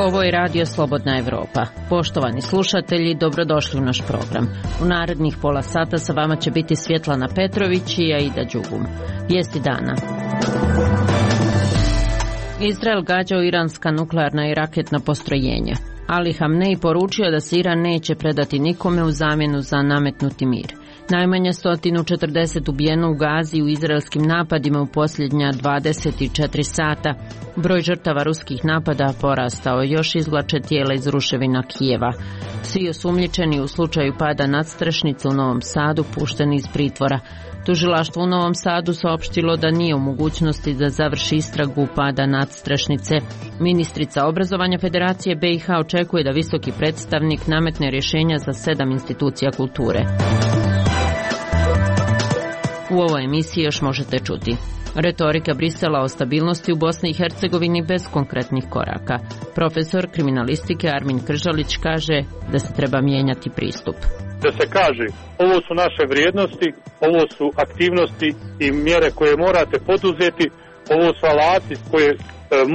Ovo je Radio Slobodna Evropa. Poštovani slušatelji, dobrodošli u naš program. U narednih pola sata sa vama će biti Svjetlana Petrović i Aida Đugum. Vijesti dana. Izrael gađao iranska nuklearna i raketna postrojenja. Ali Hamnej poručio da se Iran neće predati nikome u zamjenu za nametnuti mir. Najmanje 140 ubijeno u Gazi u izraelskim napadima u posljednja 24 sata. Broj žrtava ruskih napada porastao, još izvlače tijela iz ruševina Kijeva. Svi osumnjičeni u slučaju pada nadstrešnice u Novom Sadu pušteni iz pritvora. Tužilaštvo u Novom Sadu saopštilo da nije u mogućnosti da završi istragu pada nadstrešnice. Ministrica obrazovanja Federacije BiH očekuje da visoki predstavnik nametne rješenja za 7 institucija kulture. U ovoj emisiji još možete čuti: retorika Brisela o stabilnosti u Bosni i Hercegovini bez konkretnih koraka. Profesor kriminalistike Armin Kržalić kaže da se treba mijenjati pristup. Da se kaže, ovo su naše vrijednosti, ovo su aktivnosti i mjere koje morate poduzeti, ovo su alati koje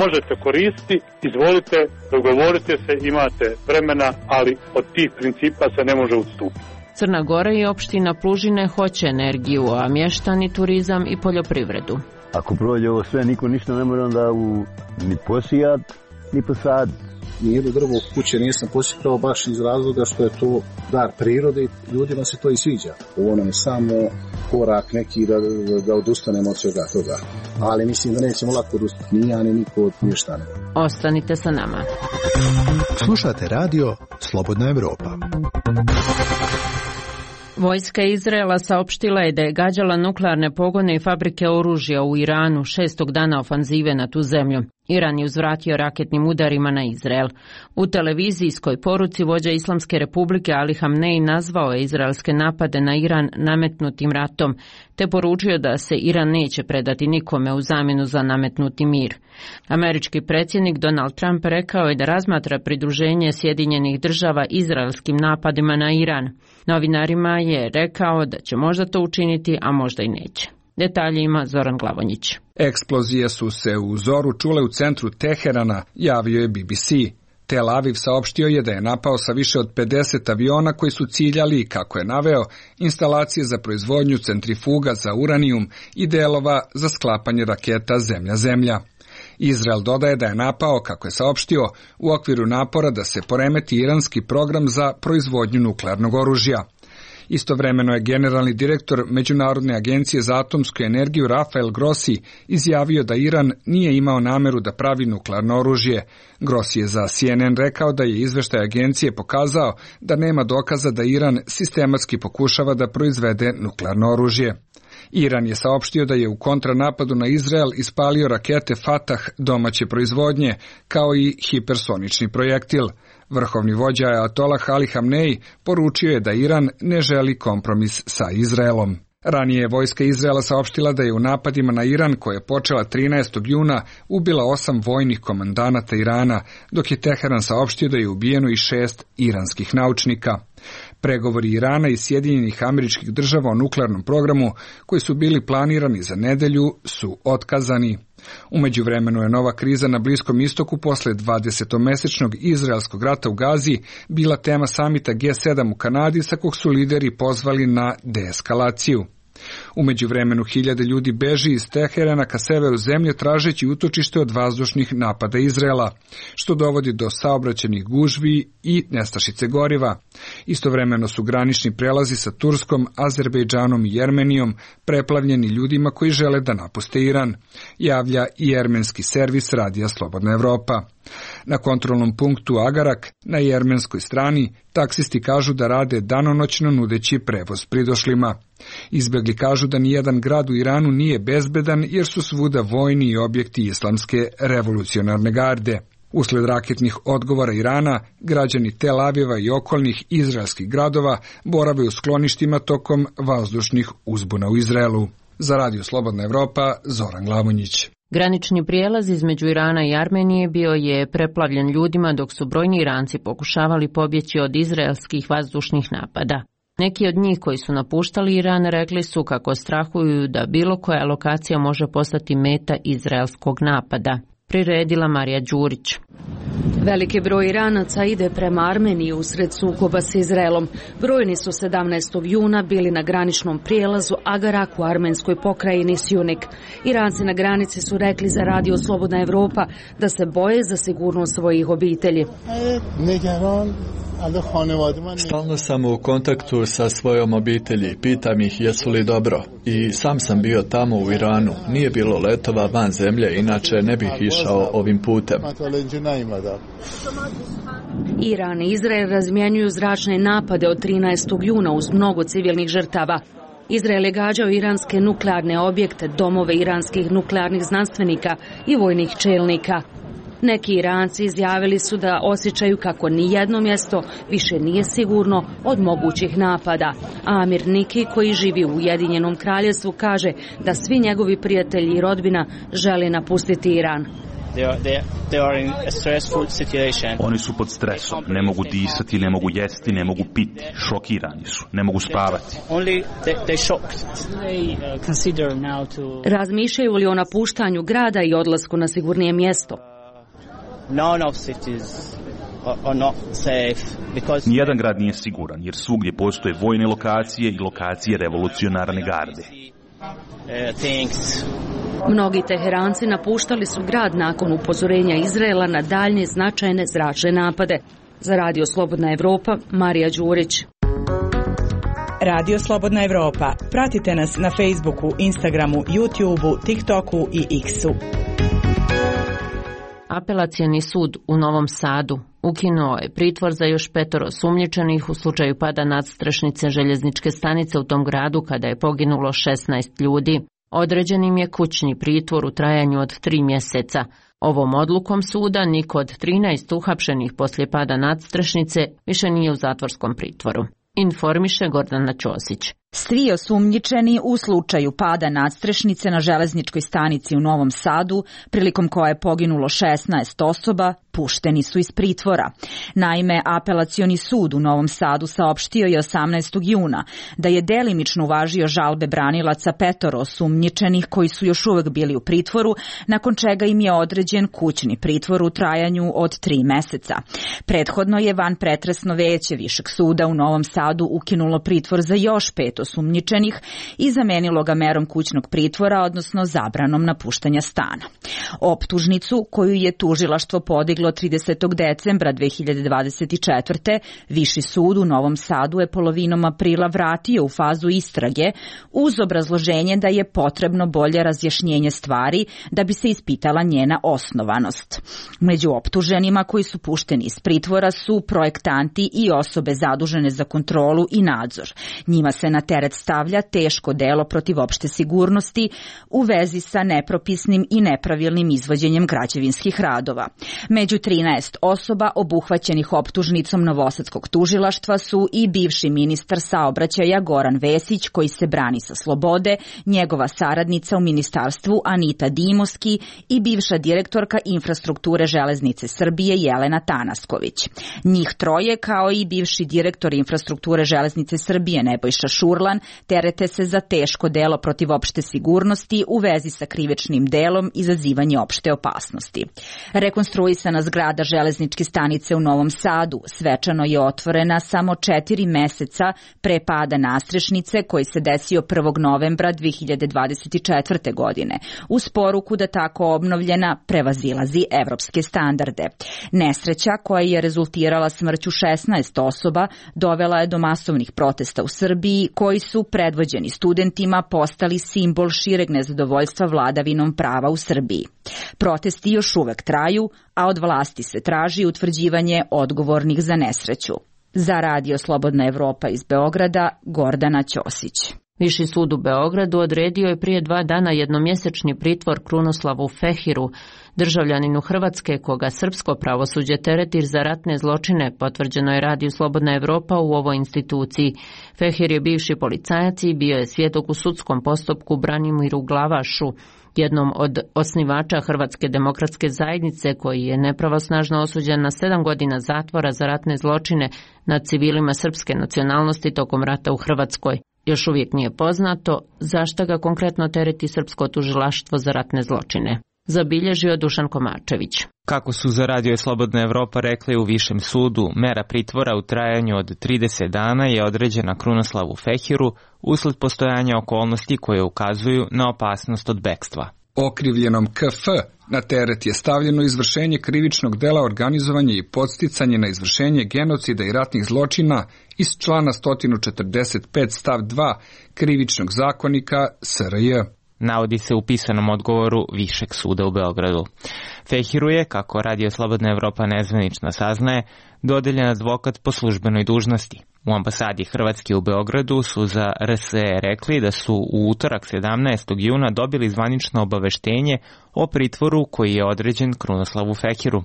možete koristiti, izvolite, dogovorite se, imate vremena, ali od tih principa se ne može odstupiti. Crna Gora i opština Plužine hoće energiju, a mještani turizam i poljoprivredu. Ako prođe ovo sve, niko ništa ne mora onda ni posijat, ni posaditi. Nijedno drvo kuće nisam posjetao baš iz razloga što je to dar prirode i ljudima se to i sviđa. Ovo nam je samo korak neki da odustanemo od svega toga. Ali mislim da nećemo lako odustati ni ja ni niko od mještana. Ostanite sa nama. Slušate radio Slobodna Evropa. Vojska Izraela saopštila je da je gađala nuklearne pogone i fabrike oružja u Iranu 6. dana ofanzive na tu zemlju. Iran je uzvratio raketnim udarima na Izrael. U televizijskoj poruci vođa Islamske republike Ali Hamnej nazvao je izraelske napade na Iran nametnutim ratom, te poručio da se Iran neće predati nikome u zamjenu za nametnuti mir. Američki predsjednik Donald Trump rekao je da razmatra pridruženje Sjedinjenih Država izraelskim napadima na Iran. Novinarima je rekao da će možda to učiniti, a možda i neće. Detalje ima Zoran Glavonjić. Eksplozije su se u zoru čule u centru Teherana, javio je BBC. Tel Aviv saopštio je da je napao sa više od 50 aviona koji su ciljali, kako je naveo, instalacije za proizvodnju centrifuga za uranijum i delova za sklapanje raketa zemlja-zemlja. Izrael dodaje da je napao, kako je saopštio, u okviru napora da se poremeti iranski program za proizvodnju nuklearnog oružja. Istovremeno je generalni direktor Međunarodne agencije za atomsku energiju Rafael Grossi izjavio da Iran nije imao nameru da pravi nuklearno oružje. Grossi je za CNN rekao da je izveštaj agencije pokazao da nema dokaza da Iran sistematski pokušava da proizvede nuklearno oružje. Iran je saopštio da je u kontranapadu na Izrael ispalio rakete Fatah domaće proizvodnje, kao i hipersonični projektil. Vrhovni vođa Ajatolah Ali Hamnej poručio je da Iran ne želi kompromis sa Izraelom. Ranije je vojska Izraela saopštila da je u napadima na Iran, koja je počela 13. juna, ubila 8 vojnih komandanata Irana, dok je Teheran saopštio da je ubijeno i 6 iranskih naučnika. Pregovori Irana i Sjedinjenih Američkih Država o nuklearnom programu, koji su bili planirani za nedelju, su otkazani. U međuvremenu je nova kriza na Bliskom istoku posle 20-mesečnog izraelskog rata u Gazi bila tema samita G7 u Kanadi, sa kog su lideri pozvali na deeskalaciju. U međuvremenu hiljade ljudi beži iz Teherana ka severu zemlje tražeći utočište od vazdušnih napada Izraela, što dovodi do saobraćajnih gužvi i nestašice goriva. Istovremeno su granični prelazi sa Turskom, Azerbejdžanom i Jermenijom preplavljeni ljudima koji žele da napuste Iran, javlja i jermenski servis Radija Slobodna Evropa. Na kontrolnom punktu Agarak na jermenskoj strani taksisti kažu da rade danonoćno nudeći prevoz pridošlima. Izbjegli kažu da nijedan grad u Iranu nije bezbedan jer su svuda vojni i objekti Islamske revolucionarne garde. Usled raketnih odgovora Irana, građani Tel Aviva i okolnih izraelskih gradova borave u skloništima tokom vazdušnih uzbuna u Izraelu. Za Radio Slobodna Evropa, Zoran Glavonjić. Granični prijelaz između Irana i Armenije bio je preplavljen ljudima dok su brojni Iranci pokušavali pobjeći od izraelskih vazdušnih napada. Neki od njih koji su napuštali Iran rekli su kako strahuju da bilo koja lokacija može postati meta izraelskog napada. priredila Marija Đurić. Veliki broj Iranaca ide prema Armeniji usred sukoba s Izraelom. Brojni su 17. juna bili na graničnom prijelazu Agarak u armenskoj pokrajini Sjunik. Iranci na granici su rekli za Radio Slobodna Evropa da se boje za sigurnost svojih obitelji. Stalno sam u kontaktu sa svojom obitelji, pitam ih jesu li dobro. I sam sam bio tamo u Iranu, nije bilo letova van zemlje, inače ne bih išao ovim putem. Iran i Izrael razmjenjuju zračne napade od 13. juna uz mnogo civilnih žrtava. Izrael je gađao iranske nuklearne objekte, domove iranskih nuklearnih znanstvenika i vojnih čelnika. Neki Iranci izjavili su da osjećaju kako nijedno mjesto više nije sigurno od mogućih napada. Amir Niki, koji živi u Ujedinjenom kraljevstvu, kaže da svi njegovi prijatelji i rodbina žele napustiti Iran. Oni su pod stresom, ne mogu disati, ne mogu jesti, ne mogu piti, šokirani su, ne mogu spavati. Razmišljaju li o napuštanju grada i odlasku na sigurnije mjesto? Nijedan grad nije siguran, jer svugdje postoje vojne lokacije i lokacije revolucionarne garde. Mnogi Teheranci napuštali su grad nakon upozorenja Izraela na daljnje značajne zračne napade. Za Radio Slobodna Evropa, Marija Đurić. Radio Slobodna Evropa. Pratite nas na Facebooku, Instagramu, YouTubeu, TikToku i X-u. Apelacioni sud u Novom Sadu ukinuo je pritvor za još 5 osumnjičenih u slučaju pada nadstrešnice željezničke stanice u tom gradu kada je poginulo 16 ljudi. Određen im je kućni pritvor u trajanju od 3 mjeseca. Ovom odlukom suda niko od 13 uhapšenih poslije pada nadstrešnice više nije u zatvorskom pritvoru. Informiše Gordana Ćosić. Svi osumnjičeni u slučaju pada nadstrešnice na železničkoj stanici u Novom Sadu, prilikom koje je poginulo 16 osoba, pušteni su iz pritvora. Naime, Apelacioni sud u Novom Sadu saopštio je 18. juna da je delimično uvažio žalbe branilaca 5 osumnjičenih koji su još uvek bili u pritvoru, nakon čega im je određen kućni pritvor u trajanju od 3 meseca. Prethodno je vanpretresno veće Višeg suda u Novom Sadu ukinulo pritvor za još 5 osumnjičenih i zamenilo ga merom kućnog pritvora, odnosno zabranom napuštanja stana. Optužnicu koju je tužilaštvo podiglo 30. decembra 2024. Viši sud u Novom Sadu je polovinom aprila vratio u fazu istrage uz obrazloženje da je potrebno bolje razjašnjenje stvari da bi se ispitala njena osnovanost. Među optuženima koji su pušteni iz pritvora su projektanti i osobe zadužene za kontrolu i nadzor. Njima se na teret stavlja teško delo protiv opšte sigurnosti u vezi sa nepropisnim i nepravilnim izvođenjem građevinskih radova. Među 13 osoba obuhvaćenih optužnicom novosadskog tužilaštva su i bivši ministar saobraćaja Goran Vesić, koji se brani sa slobode, njegova saradnica u ministarstvu Anita Dimoski i bivša direktorka infrastrukture Železnice Srbije Jelena Tanasković. Njih 3, kao i bivši direktor infrastrukture Železnice Srbije Nebojša Šurlan, terete se za teško delo protiv opšte sigurnosti u vezi sa krivičnim delom izazivanje opšte opasnosti. Rekonstruisana zgrada železničke stanice u Novom Sadu svečano je otvorena samo 4 meseca pre pada nadstrešnice koji se desio 1. novembra 2024. godine, uz poruku da tako obnovljena prevazilazi evropske standarde. Nesreća koja je rezultirala smrću 16 osoba dovela je do masovnih protesta u Srbiji koji su predvođeni studentima postali simbol šireg nezadovoljstva vladavinom prava u Srbiji. Protesti još uvek traju, a od vlasti se traži utvrđivanje odgovornih za nesreću. Za Radio Slobodna Evropa iz Beograda, Gordana Ćosić. Viši sud u Beogradu odredio je prije 2 dana jednomjesečni pritvor Krunoslavu Fehiru, državljaninu Hrvatske koga srpsko pravosuđe tereti za ratne zločine, potvrđeno je Radio Slobodna Evropa u ovoj instituciji. Fehir je bivši policajac i bio je svjedok u sudskom postupku Branimiru Glavašu, jednom od osnivača Hrvatske demokratske zajednice, koji je nepravosnažno osuđen na 7 godina zatvora za ratne zločine nad civilima srpske nacionalnosti tokom rata u Hrvatskoj. Još uvijek nije poznato zašto ga konkretno tereti srpsko tužilaštvo za ratne zločine. zabilježio Dušan Komarčević. Kako su za Radio Slobodna Evropa rekli u Višem sudu, mera pritvora u trajanju od 30 dana je određena Krunoslavu Fehiru usled postojanja okolnosti koje ukazuju na opasnost od bekstva. Okrivljenom KF na teret je stavljeno izvršenje krivičnog dela organizovanje i podsticanje na izvršenje genocida i ratnih zločina iz člana 145 stav 2 krivičnog zakonika SRJ. Navodi se u pisanom odgovoru Višeg suda u Beogradu. Fehiru je, kako Radio Slobodna Evropa nezvanično saznaje, dodeljen advokat po službenoj dužnosti. U ambasadi Hrvatske u Beogradu su za RSE rekli da su u utorak 17. juna dobili zvanično obaveštenje o pritvoru koji je određen Krunoslavu Fehiru.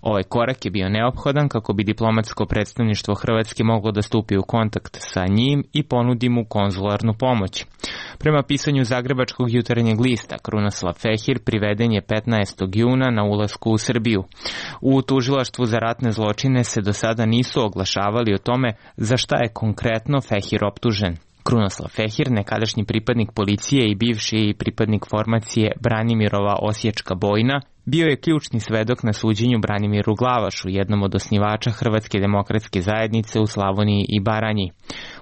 Ovaj korak je bio neophodan kako bi diplomatsko predstavništvo Hrvatske moglo da stupi u kontakt sa njim i ponudi mu konzularnu pomoć. Prema pisanju Zagrebačkog jutarnjeg lista, Krunoslav Fehir priveden je 15. juna na ulasku u Srbiju. U tužilaštvu za ratne zločine se do sada nisu oglašavali o tome za šta je konkretno Fehir optužen. Krunoslav Fehir, nekadašnji pripadnik policije i bivši pripadnik formacije Branimirova Osječka bojna, bio je ključni svedok na suđenju Branimiru Glavašu, jednom od osnivača Hrvatske demokratske zajednice u Slavoniji i Baranji.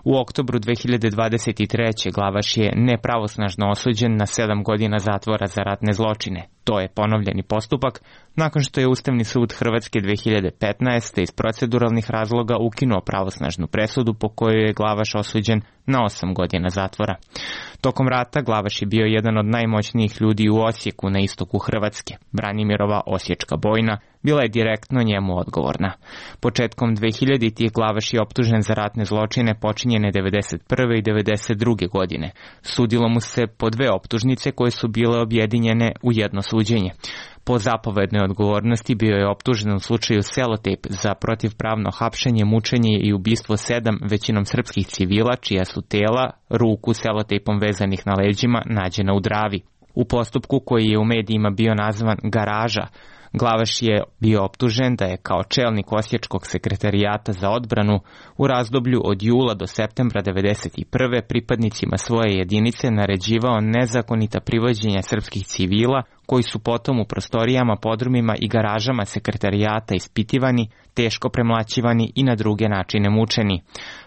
U oktobru 2023. Glavaš je nepravosnažno osuđen na 7 godina zatvora za ratne zločine. To je ponovljeni postupak nakon što je Ustavni sud Hrvatske 2015. iz proceduralnih razloga ukinuo pravosnažnu presudu po kojoj je Glavaš osuđen na 8 godina zatvora. Tokom rata Glavaš je bio jedan od najmoćnijih ljudi u Osijeku na istoku Hrvatske. Branimirova Osječka bojna bila je direktno njemu odgovorna. Početkom 2000-ih Glavaš je optužen za ratne zločine počinjene 1991. i 1992. godine. Sudilo mu se po 2 optužnice koje su bile objedinjene u jedno suđenje. Po zapovednoj odgovornosti bio je optužen u slučaju Selotejp za protivpravno hapšenje, mučenje i ubistvo 7 većinom srpskih civila čija su tela ruku selotejpom vezanih na leđima nađena u Dravi. U postupku koji je u medijima bio nazvan Garaža, Glavaš je bio optužen da je kao čelnik Osječkog sekretarijata za odbranu u razdoblju od jula do septembra 1991. pripadnicima svoje jedinice naređivao nezakonita privođenja srpskih civila koji su potom u prostorijama, podrumima i garažama sekretarijata ispitivani, teško premlaćivani i na druge načine mučeni.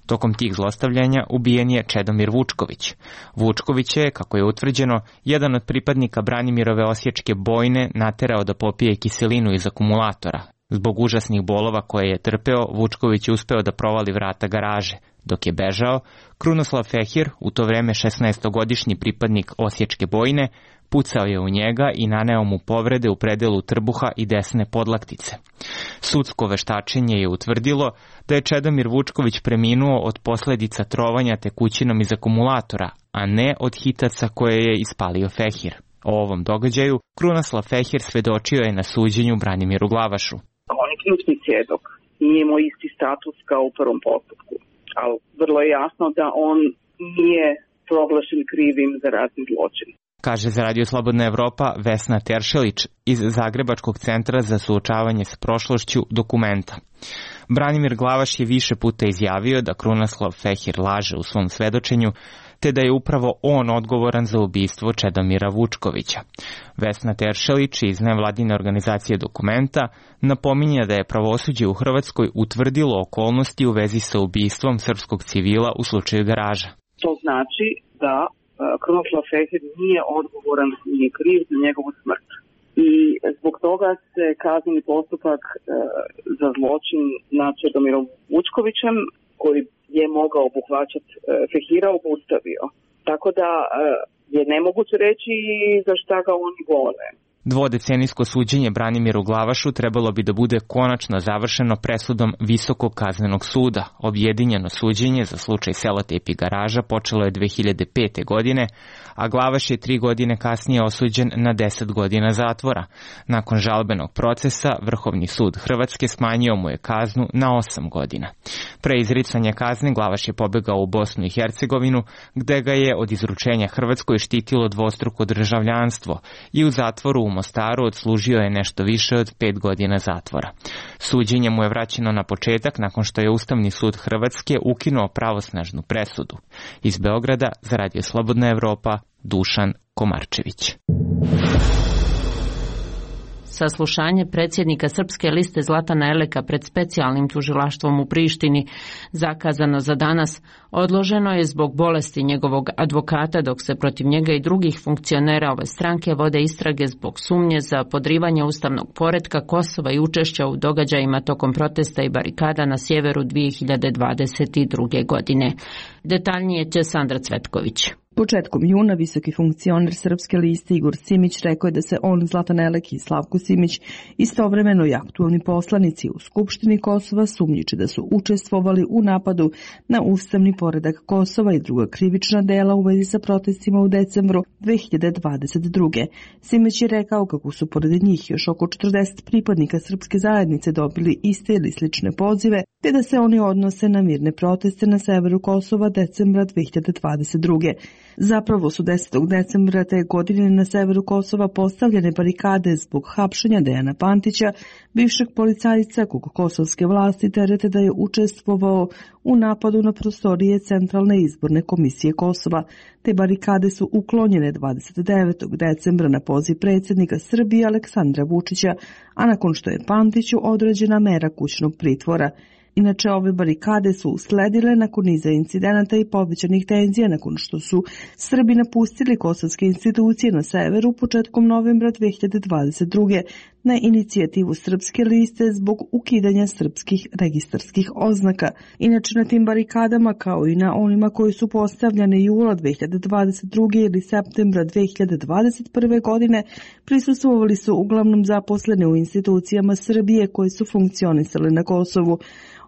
Tokom tih zlostavljanja ubijen je Čedomir Vučković. Vučković je, kako je utvrđeno, jedan od pripadnika Branimirove Osječke bojne naterao da popije kiselinu iz akumulatora. Zbog užasnih bolova koje je trpeo, Vučković je uspeo da provali vrata garaže. Dok je bežao, Krunoslav Fehir, u to vreme 16-godišnji pripadnik Osječke bojne, pucao je u njega i naneo mu povrede u predelu trbuha i desne podlaktice. Sudsko veštačenje je utvrdilo da je Čedomir Vučković preminuo od posledica trovanja tekućinom iz akumulatora, a ne od hitaca koje je ispalio Fehir. O ovom događaju Krunoslav Fehir svedočio je na suđenju Branimiru Glavašu. On je ključni svjedok, nije imao isti status kao u prvom postupku, ali vrlo je jasno da on nije proglašen krivim za ratni zločin. Kaže za Radio Slobodna Evropa Vesna Teršelić iz Zagrebačkog centra za suočavanje s prošlošću Dokumenta. Branimir Glavaš je više puta izjavio da Krunoslav Fehir laže u svom svedočenju, te da je upravo on odgovoran za ubistvo Čedomira Vučkovića. Vesna Teršelić iz nevladine organizacije Dokumenta napominje da je pravosuđe u Hrvatskoj utvrdilo okolnosti u vezi sa ubistvom srpskog civila u slučaju Garaža. To znači da Krunoslav Fehir nije odgovoran, nije kriv za njegovu smrt. I zbog toga se kazneni postupak za zločin nad Čedomirom Vučkovićem, koji je mogao obuhvaćati Fehira, obustavio. Tako da je nemoguće reći za šta ga oni gone. Dvodecenijsko suđenje Branimiru Glavašu trebalo bi da bude konačno završeno presudom Visokog kaznenog suda. Objedinjeno suđenje za slučaj Selotejp i Garaža počelo je 2005. godine, a Glavaš je 3 godine kasnije osuđen na 10 godina zatvora. Nakon žalbenog procesa, Vrhovni sud Hrvatske smanjio mu je kaznu na 8 godina. Pre izricanja kazne Glavaš je pobegao u Bosnu i Hercegovinu, gde ga je od izručenja Hrvatskoj štitilo dvostruko državljanstvo i u zatvoru u Mostaru odslužio je nešto više od 5 godina zatvora. Suđenje mu je vraćeno na početak nakon što je Ustavni sud Hrvatske ukinuo pravosnažnu presudu. Iz Beograda za Radio Slobodna Evropa, Dušan Komarčević. saslušanje predsjednika Srpske liste Zlatana Eleka pred specijalnim tužilaštvom u Prištini, zakazano za danas, odloženo je zbog bolesti njegovog advokata, dok se protiv njega i drugih funkcionera ove stranke vode istrage zbog sumnje za podrivanje ustavnog poretka Kosova i učešća u događajima tokom protesta i barikada na sjeveru 2022. godine. Detaljnije će Sandra Cvetković. Početkom juna visoki funkcioner Srpske liste Igor Simić rekao je da se on, Zlatan Elek i Slavko Simić, istovremeno i aktualni poslanici u Skupštini Kosova, sumnjiči da su učestvovali u napadu na ustavni poredak Kosova i druga krivična dela u vezi sa protestima u decembru 2022. Simić je rekao kako su pored njih još oko 40 pripadnika srpske zajednice dobili iste ili slične pozive, te da se oni odnose na mirne proteste na severu Kosova decembra 2022. Zapravo su 10. decembra te godine na severu Kosova postavljene barikade zbog hapšenja Dejana Pantića, bivšeg policajca kog kosovske vlasti terete da je učestvovao u napadu na prostorije Centralne izborne komisije Kosova. Te barikade su uklonjene 29. decembra na poziv predsjednika Srbije Aleksandra Vučića, a nakon što je Pantiću određena mera kućnog pritvora. Inače, ove barikade su usledile nakon niza incidenata i povećanih tenzija nakon što su Srbi napustili kosovske institucije na severu početkom novembra 2022. na inicijativu Srpske liste zbog ukidanja srpskih registarskih oznaka. Inače, na tim barikadama, kao i na onima koji su postavljane jula 2022. ili septembra 2021. godine, prisustvovali su uglavnom zaposlene u institucijama Srbije koji su funkcionisale na Kosovu.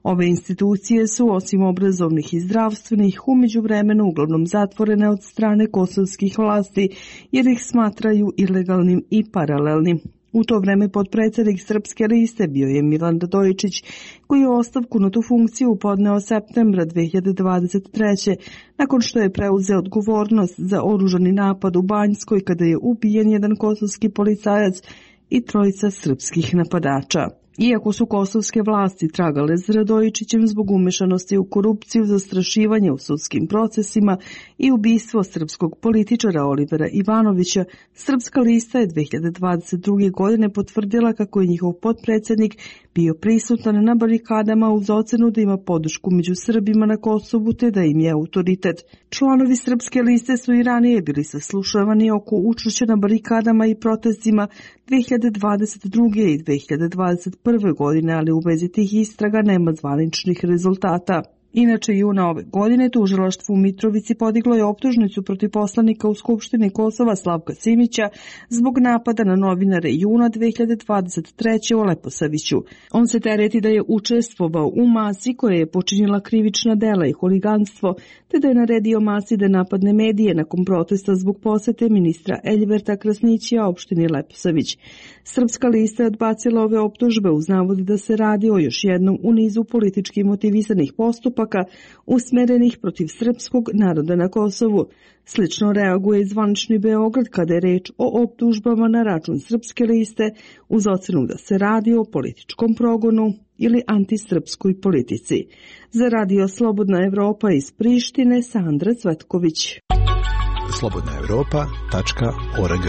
Ove institucije su, osim obrazovnih i zdravstvenih, u međuvremenu uglavnom zatvorene od strane kosovskih vlasti, jer ih smatraju ilegalnim i paralelnim. U to vreme potpredsjednik Srpske liste bio je Milan Radojičić, koji je ostavku na tu funkciju podneo septembra 2023. nakon što je preuzeo odgovornost za oružani napad u Banjskoj kada je ubijen jedan kosovski policajac i trojica srpskih napadača. Iako su kosovske vlasti tragale za Radojičićem zbog umešanosti u korupciju, zastrašivanje u sudskim procesima i ubistvo srpskog političara Olivera Ivanovića, Srpska lista je 2022. godine potvrdila kako je njihov potpredsjednik bio prisutan na barikadama uz ocenu da ima podršku među Srbima na Kosovu te da im je autoritet. Članovi Srpske liste su i ranije bili saslušavani oko učešća na barikadama i protestima 2022. i 2021. godine, ali u vezi tih istraga nema zvaničnih rezultata. Inače, juna ove godine tužilaštvo u Mitrovici podiglo je optužnicu protiv poslanika u Skupštini Kosova Slavka Simića zbog napada na novinare juna 2023. u Leposaviću. On se tereti da je učestvovao u masi koja je počinila krivična dela i huliganstvo, te da je naredio masi da napadne medije nakon protesta zbog posete ministra Eljberta Krasnićija opštini Leposavić. Srpska lista je odbacila ove optužbe uz navod da se radi o još jednom u nizu politički motivisanih postupaka usmerenih protiv srpskog naroda na Kosovu. Slično reaguje i zvanični Beograd kada je reč o optužbama na račun Srpske liste uz ocenu da se radi o političkom progonu ili antisrpskoj politici. Za Radio Slobodna Evropa iz Prištine, Sandra Cvetković. slobodnaevropa.org.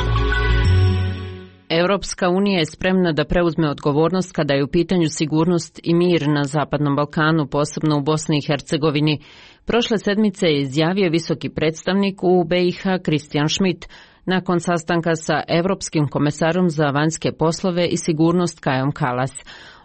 Europska unija je spremna da preuzme odgovornost kada je u pitanju sigurnost i mir na Zapadnom Balkanu, posebno u Bosni i Hercegovini. Prošle sedmice je izjavio visoki predstavnik u BiH Christian Schmidt nakon sastanka sa Evropskim komesarom za vanjske poslove i sigurnost Kajom Kallas.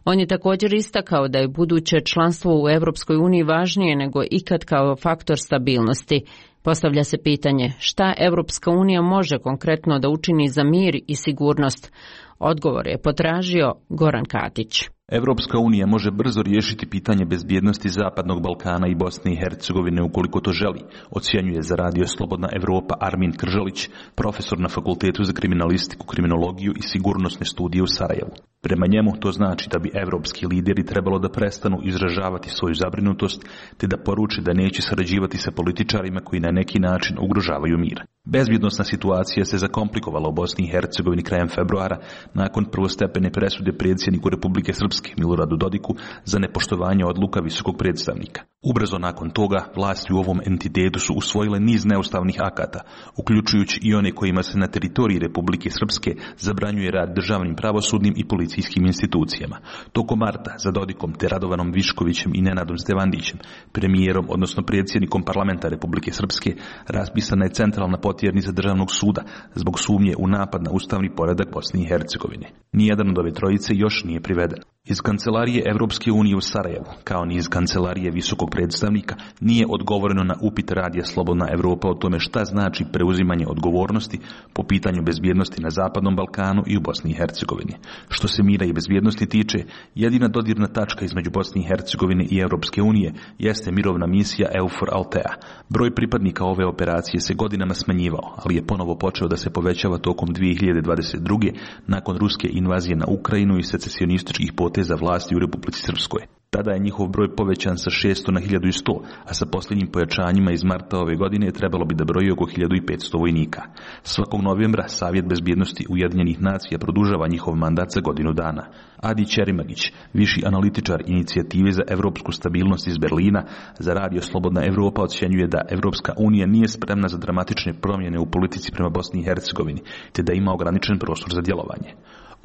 On je također istakao da je buduće članstvo u Europskoj uniji važnije nego ikad kao faktor stabilnosti. Postavlja se pitanje šta Europska unija može konkretno da učini za mir i sigurnost. Odgovor je potražio Goran Katić. Evropska unija može brzo riješiti pitanje bezbjednosti Zapadnog Balkana i Bosne i Hercegovine ukoliko to želi, ocjenjuje za Radio Slobodna Evropa Armin Kržalić, profesor na Fakultetu za kriminalistiku, kriminologiju i sigurnosne studije u Sarajevu. Prema njemu to znači da bi evropski lideri trebalo da prestanu izražavati svoju zabrinutost te da poruče da neće sarađivati sa političarima koji na neki način ugrožavaju mir. Bezbjednosna situacija se zakomplikovala u Bosni i Hercegovini krajem februara nakon prvostepene presude predsjedniku Republike Srpske Miloradu Dodiku za nepoštovanje odluka visokog predstavnika. Ubrzo nakon toga, vlasti u ovom entitetu su usvojile niz neustavnih akata, uključujući i one kojima se na teritoriji Republike Srpske zabranjuje rad državnim pravosudnim i policijskim institucijama. Tokom marta, za Dodikom te Radovanom Viškovićem i Nenadom Stevandićem, premijerom, odnosno predsjednikom parlamenta Republike Srpske, raspisana je centralna potjernica državnog suda zbog sumnje u napad na ustavni poredak Bosne i Hercegovine. Nijedan od ove trojice još nije priveden. Iz Kancelarije Evropske unije u Sarajevu, kao ni iz Kancelarije visokog predstavnika, nije odgovoreno na upit Radija Slobodna Evropa o tome šta znači preuzimanje odgovornosti po pitanju bezbjednosti na Zapadnom Balkanu i u Bosni i Hercegovini. Što se mira i bezbjednosti tiče, jedina dodirna tačka između Bosne i Hercegovine i Evropske unije jeste mirovna misija EUFOR Altea. Broj pripadnika ove operacije se godinama smanjivao, ali je ponovo počeo da se povećava tokom 2022. nakon ruske invazije na Ukrajinu i secesionističkih poteza vlasti u Republici Srpskoj. Tada je njihov broj povećan sa 600 na 1100, a sa posljednjim pojačanjima iz marta ove godine trebalo bi da broji oko 1500 vojnika. Svakog novembra Savjet bezbjednosti Ujedinjenih nacija produžava njihov mandat za godinu dana. Adi Ćerimagić, viši analitičar inicijative za evropsku stabilnost iz Berlina, za Radio Slobodna Evropa ocjenjuje da Evropska unija nije spremna za dramatične promjene u politici prema Bosni i Hercegovini, te da ima ograničen prostor za djelovanje.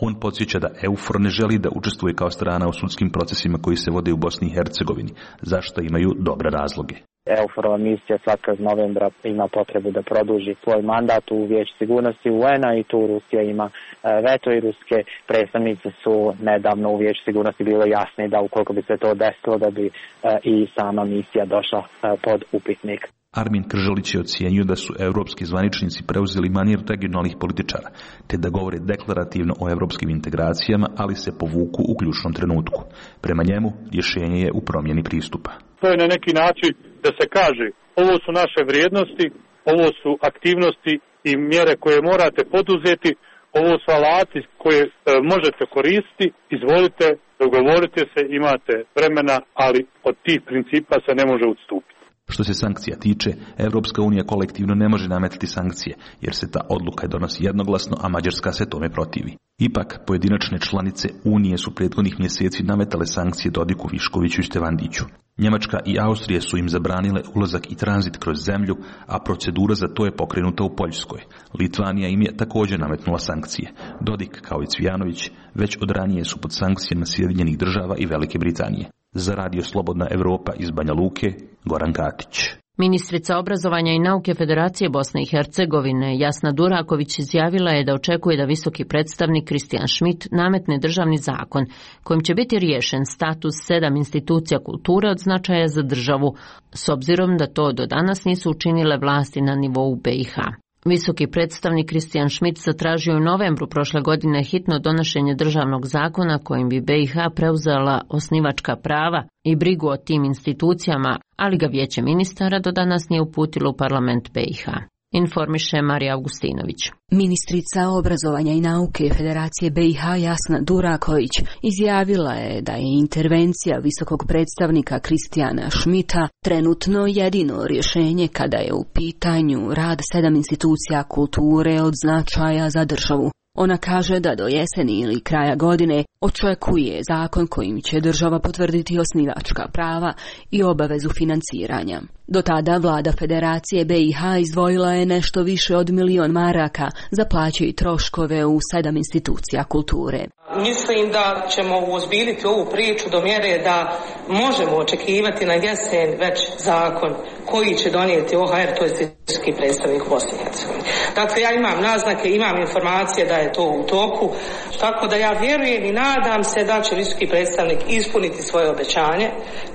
On podsjeća da EUFOR ne želi da učestvuje kao strana u sudskim procesima koji se vode u Bosni i Hercegovini, zašto imaju dobre razloge. EUFOR-ova misija svakog novembra ima potrebu da produži svoj mandat u Vijeću sigurnosti UN-a i tu Rusija ima veto i ruske predstavnice su nedavno u Vijeću sigurnosti bile jasne da ukoliko bi se to desilo da bi i sama misija došla pod upitnik. Armin Krželić je ocijenio da su evropski zvaničnici preuzeli manir regionalnih političara, te da govore deklarativno o evropskim integracijama, ali se povuku u ključnom trenutku. Prema njemu, rješenje je u promjeni pristupa. To je na neki način da se kaže, ovo su naše vrijednosti, ovo su aktivnosti i mjere koje morate poduzeti, ovo su alati koje možete koristiti, izvolite, dogovorite se, imate vremena, ali od tih principa se ne može odstupiti. Što se sankcija tiče, Evropska unija kolektivno ne može nametati sankcije, jer se ta odluka donosi jednoglasno, a Mađarska se tome protivi. Ipak, pojedinačne članice Unije su prethodnih mjeseci nametale sankcije Dodiku, Viškoviću i Stevandiću. Njemačka i Austrija su im zabranile ulazak i tranzit kroz zemlju, a procedura za to je pokrenuta u Poljskoj. Litvanija im je također nametnula sankcije. Dodik, kao i Cvijanović, već od ranije su pod sankcijama Sjedinjenih Država i Velike Britanije. Za Radio Slobodna Evropa iz Banja Luke, Goran Katić. Ministrica obrazovanja i nauke Federacije Bosne i Hercegovine Jasna Duraković izjavila je da očekuje da visoki predstavnik Kristijan Schmidt nametne državni zakon kojim će biti riješen status 7 institucija kulture od značaja za državu, s obzirom da to do danas nisu učinile vlasti na nivou BiH. Visoki predstavnik Kristijan Schmidt zatražio u novembru prošle godine hitno donošenje državnog zakona kojim bi BiH preuzela osnivačka prava i brigu o tim institucijama, ali ga Vijeće ministara do danas nije uputilo u parlament BiH. Informiše Marija Augustinović. Ministrica obrazovanja i nauke Federacije BiH Jasna Duraković izjavila je da je intervencija visokog predstavnika Kristijana Schmidta trenutno jedino rješenje kada je u pitanju rad 7 institucija kulture od značaja za državu. Ona kaže da do jeseni ili kraja godine očekuje zakon kojim će država potvrditi osnivačka prava i obavezu financiranja. Do tada vlada Federacije BiH izdvojila je nešto više od 1 milion maraka za plaće i troškove u 7 institucija kulture. Mislim da ćemo uozbiljiti ovu priču do mjere da možemo očekivati na jesen već zakon koji će donijeti OHR, to je visoki predstavnik Bosne i Hercegovine. Dakle, ja imam naznake, imam informacije da je to u toku, tako da ja vjerujem i nadam se da će visoki predstavnik ispuniti svoje obećanje.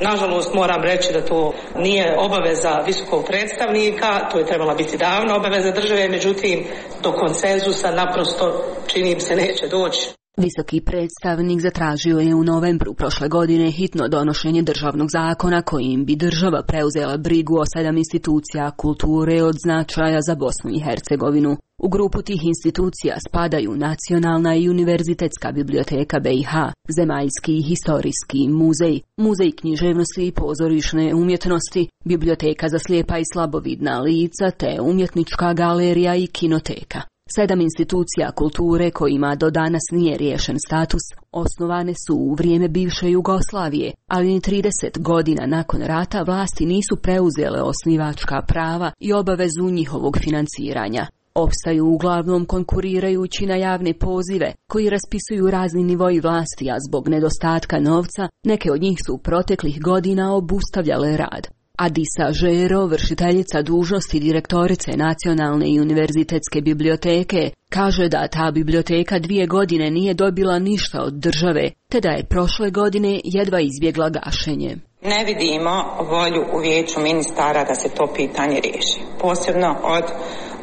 Nažalost, moram reći da to nije obaveza visokog predstavnika, to je trebala biti davno obaveza države, međutim, do konsenzusa naprosto čini se neće doći. Visoki predstavnik zatražio je u novembru prošle godine hitno donošenje državnog zakona kojim bi država preuzela brigu o 7 institucija kulture od značaja za Bosnu i Hercegovinu. U grupu tih institucija spadaju Nacionalna i Univerzitetska biblioteka BiH, Zemaljski i historijski muzej, Muzej književnosti i pozorišne umjetnosti, Biblioteka za slijepa i slabovidna lica te Umjetnička galerija i kinoteka. 7 institucija kulture kojima do danas nije riješen status osnovane su u vrijeme bivše Jugoslavije, ali ni 30 godina nakon rata vlasti nisu preuzele osnivačka prava i obavezu njihovog financiranja. Opstaju uglavnom konkurirajući na javne pozive koji raspisuju razni nivoji vlasti, a zbog nedostatka novca neke od njih su u proteklih godina obustavljale rad. Adisa Žero, vršiteljica dužnosti direktorice Nacionalne i univerzitetske biblioteke, kaže da ta biblioteka 2 godine nije dobila ništa od države, te da je prošle godine jedva izbjegla gašenje. Ne vidimo volju u vijeću ministara da se to pitanje riješi, posebno od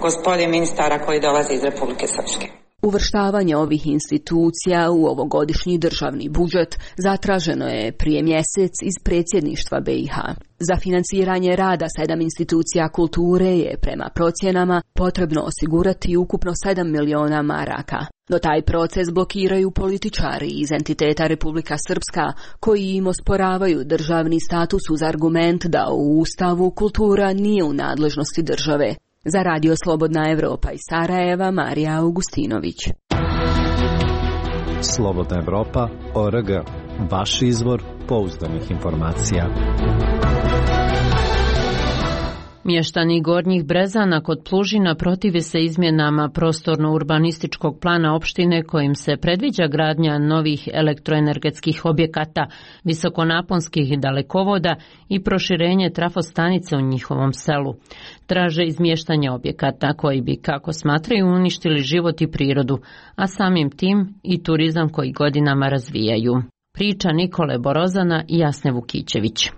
gospodine ministara koji dolaze iz Republike Srpske. Uvrštavanje ovih institucija u ovogodišnji državni budžet zatraženo je prije mjesec iz predsjedništva BiH. Za financiranje rada 7 institucija kulture je prema procjenama potrebno osigurati ukupno 7 miliona maraka. No taj proces blokiraju političari iz entiteta Republika Srpska koji im osporavaju državni status uz argument da u Ustavu kultura nije u nadležnosti države. Za Radio Slobodna Evropa iz Sarajeva, Marija Augustinović. Slobodna Evropa.org. Vaš izvor pouzdanih informacija. Mještani Gornjih Brezana kod Plužina protive se izmjenama prostorno-urbanističkog plana opštine kojim se predviđa gradnja novih elektroenergetskih objekata, visokonaponskih dalekovoda i proširenje trafostanice u njihovom selu. Traže izmještanje objekata koji bi, kako smatraju, uništili život i prirodu, a samim tim i turizam koji godinama razvijaju. Priča Nikole Borozana i Jasne Vukićević.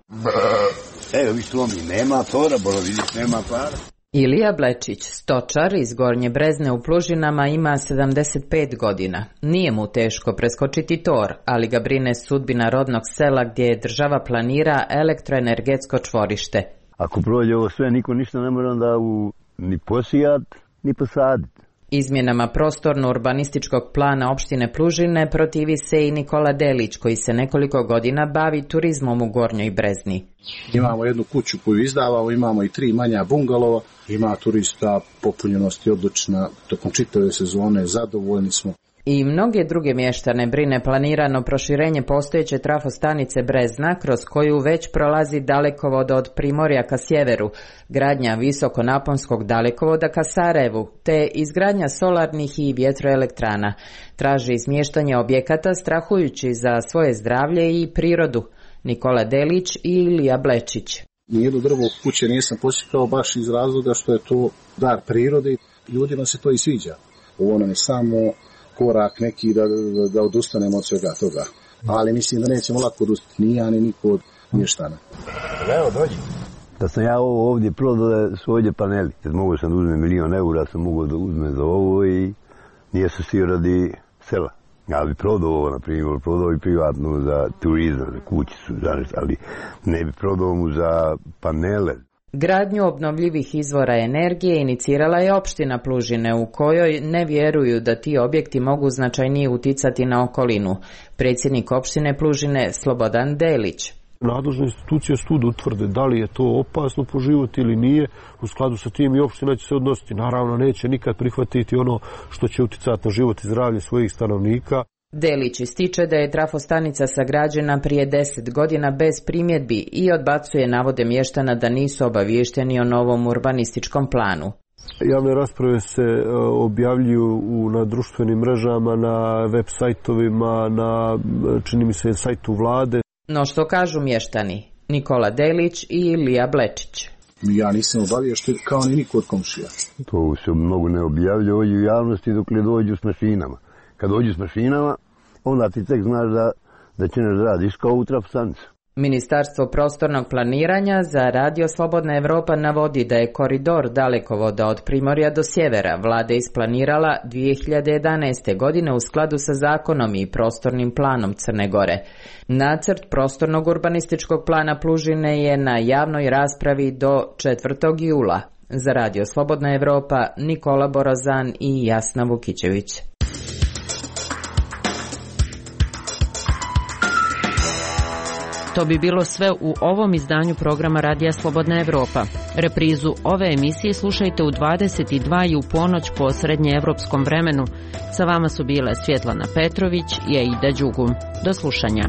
Evo, vi slomi, nema tora, Borovidić nema para. Ilija Blečić, stočar iz Gornje Brezne u Plužinama, ima 75 godina. Nije mu teško preskočiti tor, ali ga brine sudbina rodnog sela gdje država planira elektroenergetsko čvorište. Ako prođe ovo sve, niko ništa ne mora onda ni posijat, ni posaditi. Izmjenama prostorno-urbanističkog plana opštine Plužine protivi se i Nikola Delić, koji se nekoliko godina bavi turizmom u Gornjoj Brezni. Imamo jednu kuću koju izdavamo, imamo i 3 manja bungalova, ima turista, popunjenost je odlična, tokom čitave sezone, zadovoljni smo. I mnoge druge mještane brine planirano proširenje postojeće trafostanice Brezna, kroz koju već prolazi dalekovod od Primorja ka sjeveru, gradnja visokonaponskog dalekovoda ka Sarajevu, te izgradnja solarnih i vjetroelektrana. Traži izmještanje objekata strahujući za svoje zdravlje i prirodu. Nikola Delić i Ilija Blečić. Nijedno drvo kuće nisam posjetao baš iz razloga što je to dar prirode i ljudima se to i sviđa. Ovo nam je samo korak neki da odustanemo od svega toga. Ali mislim da nećemo lako odustati, ni ja, ni niko od mještana. Evo, dođi. Da sam ja ovo ovdje prodao da su ovdje paneli. Kad mogu sam da uzmem 1.000.000 eura, sam mogu da uzmem za ovo i nije se svi radi sela. Ja bi prodao ovo, na primjer, prodao i privatno za turizam, za kućicu, ali ne bi prodao mu za panele. Gradnju obnovljivih izvora energije inicirala je opština Plužine, u kojoj ne vjeruju da ti objekti mogu značajnije uticati na okolinu. Predsjednik opštine Plužine Slobodan Delić. Nadležne institucije studu utvrde da li je to opasno po život ili nije, u skladu sa tim i opština će se odnositi. Naravno, neće nikad prihvatiti ono što će uticati na život i zdravlje svojih stanovnika. Delić ističe da je trafostanica sagrađena prije 10 godina bez primjedbi i odbacuje navode mještana da nisu obaviješteni o novom urbanističkom planu. Javne rasprave se objavljuju na društvenim mrežama, na web sajtovima, na, čini mi se, sajtu vlade. No što kažu mještani? Nikola Delić i Ilija Blečić. Ja nisam obaviješten kao ni niko od komšija. To se mnogo ne objavlja ovdje u javnosti dok ne dođu s mašinama. Kad dođu s mašinama, onda ti tek znaš da će ne radiš kao u trafostanicu. Ministarstvo prostornog planiranja za Radio Slobodna Evropa navodi da je koridor dalekovoda od Primorja do sjevera vlada isplanirala 2011. godine u skladu sa zakonom i prostornim planom Crne Gore. Nacrt prostornog urbanističkog plana Plužine je na javnoj raspravi do 4. jula. Za Radio Slobodna Evropa, Nikola Borozan i Jasna Vukićević. To bi bilo sve u ovom izdanju programa Radija Slobodna Evropa. Reprizu ove emisije slušajte u 22 i u ponoć po srednjeevropskom vremenu. Sa vama su bile Svjetlana Petrović i Aida Đugum. Do slušanja.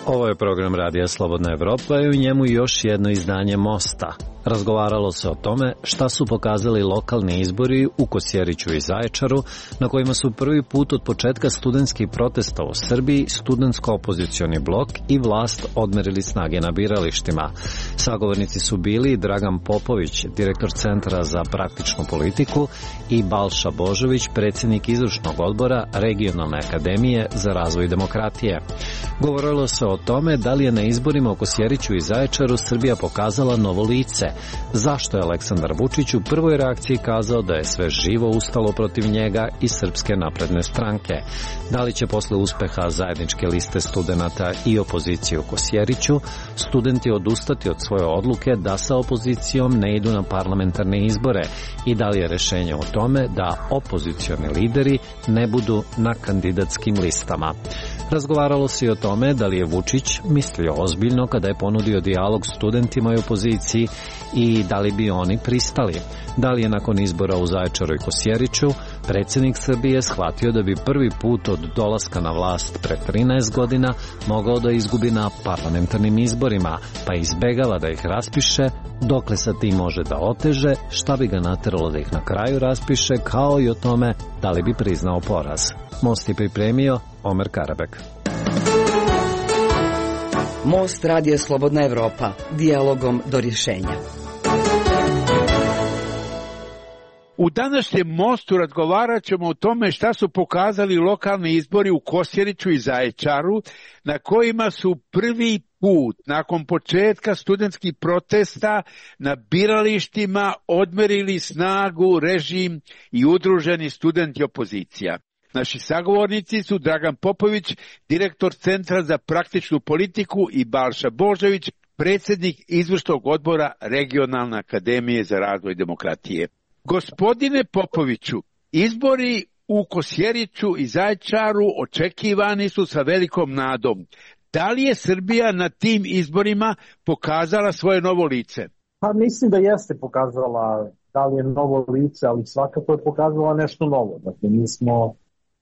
Ovo je program Radija Slobodna Evropa i u njemu još jedno izdanje Mosta. Razgovaralo se o tome šta su pokazali lokalni izbori u Kosjeriću i Zaječaru, na kojima su prvi put od početka studentskih protesta u Srbiji studentsko-opozicioni blok i vlast odmerili snage na biralištima. Sagovornici su bili Dragan Popović, direktor Centra za praktičnu politiku, i Balša Božović, predsjednik izvršnog odbora Regionalne akademije za razvoj demokratije. Govorilo se o tome da li je na izborima u Kosjeriću i Zaječaru Srbija pokazala novo lice, zašto je Aleksandar Vučić u prvoj reakciji kazao da je sve živo ustalo protiv njega i Srpske napredne stranke, da li će posle uspeha zajedničke liste studenata i opozicije u Kosjeriću studenti odustati od svoje odluke da sa opozicijom ne idu na parlamentarne izbore i da li je rešenje u tome da opozicioni lideri ne budu na kandidatskim listama. Razgovaralo se i o tome da li je Vučić mislio ozbiljno kada je ponudio dijalog studentima i opoziciji i da li bi oni pristali. Da li je nakon izbora u Zaječaru i Kosjeriću predsjednik Srbije shvatio da bi prvi put od dolaska na vlast pre 13 godina mogao da izgubi na parlamentarnim izborima, pa izbegava da ih raspiše, dokle sa tim može da oteže, šta bi ga nateralo da ih na kraju raspiše, kao i o tome da li bi priznao poraz. Most je pripremio Omer Karabek. Most Radija Slobodna Evropa, dijalogom do rješenja. U današnjem Mostu razgovarat ćemo o tome šta su pokazali lokalni izbori u Kosjeriću i Zaječaru, na kojima su prvi put nakon početka studentskih protesta na biralištima odmerili snagu režim i udruženi studenti opozicija. Naši sagovornici su Dragan Popović, direktor Centra za praktičnu politiku, i Balša Božović, predsjednik izvršnog odbora Regionalne akademije za razvoj demokratije. Gospodine Popoviću, izbori u Kosjeriću i Zaječaru očekivani su sa velikom nadom. Da li je Srbija na tim izborima pokazala svoje novo lice? Pa mislim da jeste pokazala, da li je novo lice, ali svakako je pokazala nešto novo. Dakle, mi smo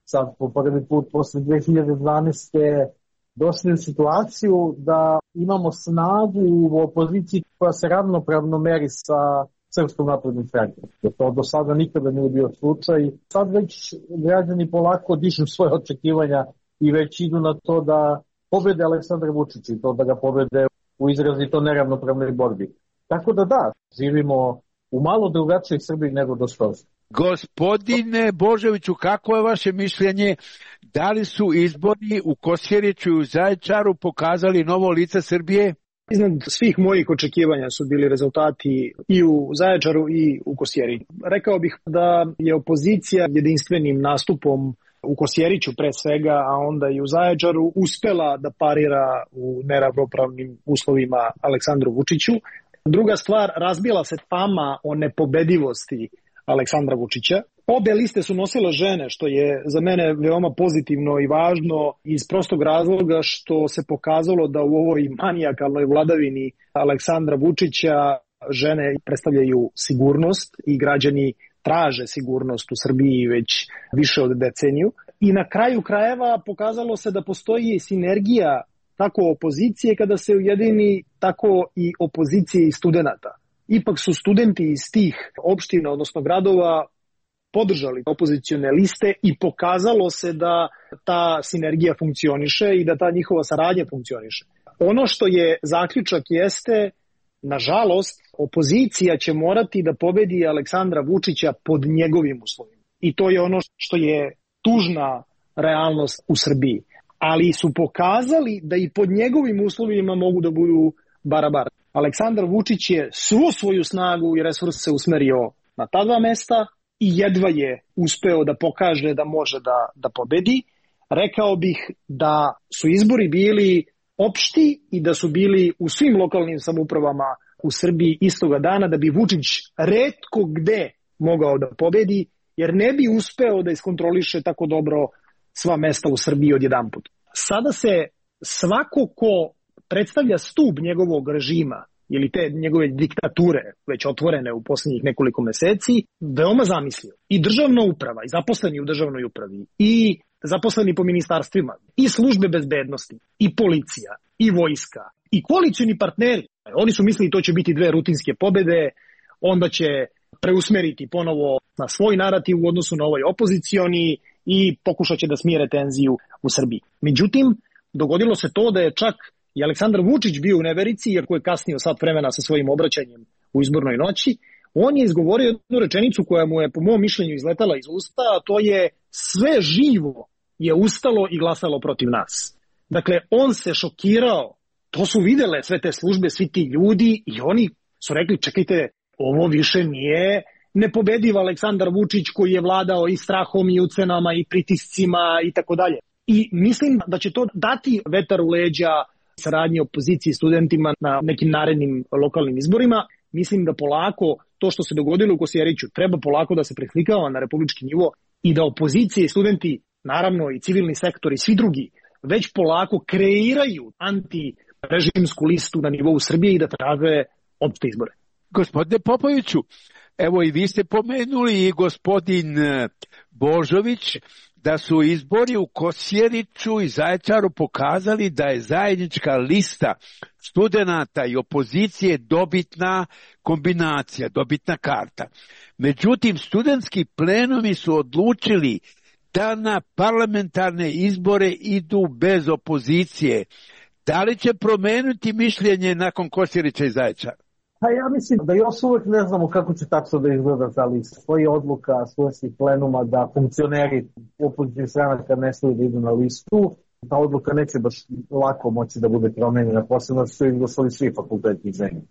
sad po prvi put posle 2012. došli u situaciju da imamo snagu u opoziciji koja se ravnopravno meri sa Srpskom naprednom strankom. To do sada nikada nije bio slučaj. Sad već građani polako dižu svoje očekivanja i već idu na to da pobede Aleksandra Vučića i to da ga pobede u izrazito neravnopravnoj borbi. Tako da, živimo u malo drugačijoj Srbiji nego do skoro. Gospodine Božoviću, kako je vaše mišljenje? Da li su izbori u Kosjeriću i u Zaječaru pokazali novo lice Srbije? Iznad svih mojih očekivanja su bili rezultati i u Zaječaru i u Kosjeriću. Rekao bih da je opozicija jedinstvenim nastupom u Kosjeriću pre svega, a onda i u Zaječaru uspela da parira u neravnopravnim uslovima Aleksandru Vučiću. Druga stvar, razbila se fama o nepobedivosti Aleksandra Vučića. Obe liste su nosile žene, što je za mene veoma pozitivno i važno iz prostog razloga što se pokazalo da u ovoj manijakalnoj vladavini Aleksandra Vučića žene predstavljaju sigurnost i građani traže sigurnost u Srbiji već više od deceniju. I na kraju krajeva pokazalo se da postoji sinergija tako opozicije kada se ujedini, tako i opozicije i studenta. Ipak su studenti iz tih opština, odnosno gradova, podržali opozicione liste i pokazalo se da ta sinergija funkcioniše i da ta njihova saradnja funkcioniše. Ono što je zaključak jeste, nažalost, opozicija će morati da pobedi Aleksandra Vučića pod njegovim uslovima. I to je ono što je tužna realnost u Srbiji. Ali su pokazali da i pod njegovim uslovima mogu da budu barabar. Aleksandar Vučić je svu svoju snagu i resurse usmerio na ta dva mesta i jedva je uspeo da pokaže da može da pobedi, rekao bih da su izbori bili opšti i da su bili u svim lokalnim samoupravama u Srbiji istoga dana, da bi Vučić retko gde mogao da pobedi, jer ne bi uspeo da iskontroliše tako dobro sva mesta u Srbiji odjedanput. Sada se svako ko predstavlja stub njegovog režima ili te njegove diktature, već otvorene u posljednjih nekoliko meseci, veoma zamislio. I državna uprava, i zaposleni u državnoj upravi, i zaposleni po ministarstvima, i službe bezbednosti, i policija, i vojska, i koalicioni partneri. Oni su mislili to će biti 2 rutinske pobede, onda će preusmeriti ponovo na svoj narativ u odnosu na ovaj opozicioni i pokušat će da smire tenziju u Srbiji. Međutim, dogodilo se to da je čak i Aleksandar Vučić bio u neverici, iako je kasnio sat vremena sa svojim obraćanjem u izbornoj noći. On je izgovorio jednu rečenicu koja mu je po mom mišljenju izletala iz usta, a to je: sve živo je ustalo i glasalo protiv nas. Dakle, on se šokirao, to su videle sve te službe, svi ti ljudi, i oni su rekli: čekajte, ovo više nije nepobediv Aleksandar Vučić koji je vladao i strahom i ucenama i pritiscima i tako dalje. I mislim da će to dati vetar u leđa saradnje opozicije i studentima na nekim narednim lokalnim izborima. Mislim da polako to što se dogodilo u Kosjeriću treba polako da se preslikava na republički nivo i da opozicije i studenti, naravno i civilni sektor i svi drugi, već polako kreiraju antirežimsku listu na nivou Srbije i da traže opšte izbore. Gospodine Popoviću, evo i vi ste pomenuli i gospodin Božović da su izbori u Kosjeriću i Zaječaru pokazali da je zajednička lista studenata i opozicije dobitna kombinacija, dobitna karta. Međutim, studentski plenumi su odlučili da na parlamentarne izbore idu bez opozicije. Da li će promeniti mišljenje nakon Kosjerića i Zaječara? Pa ja mislim da još uvek ne znamo kako će tačno da izgleda ta lista. Stoji odluka studentskih plenuma da funkcioneri opozicijnih stranaka ne smiju da idu na listu. Ta odluka neće baš lako moći da bude promenjena, posebno su izglasali svi fakulteti zemlje.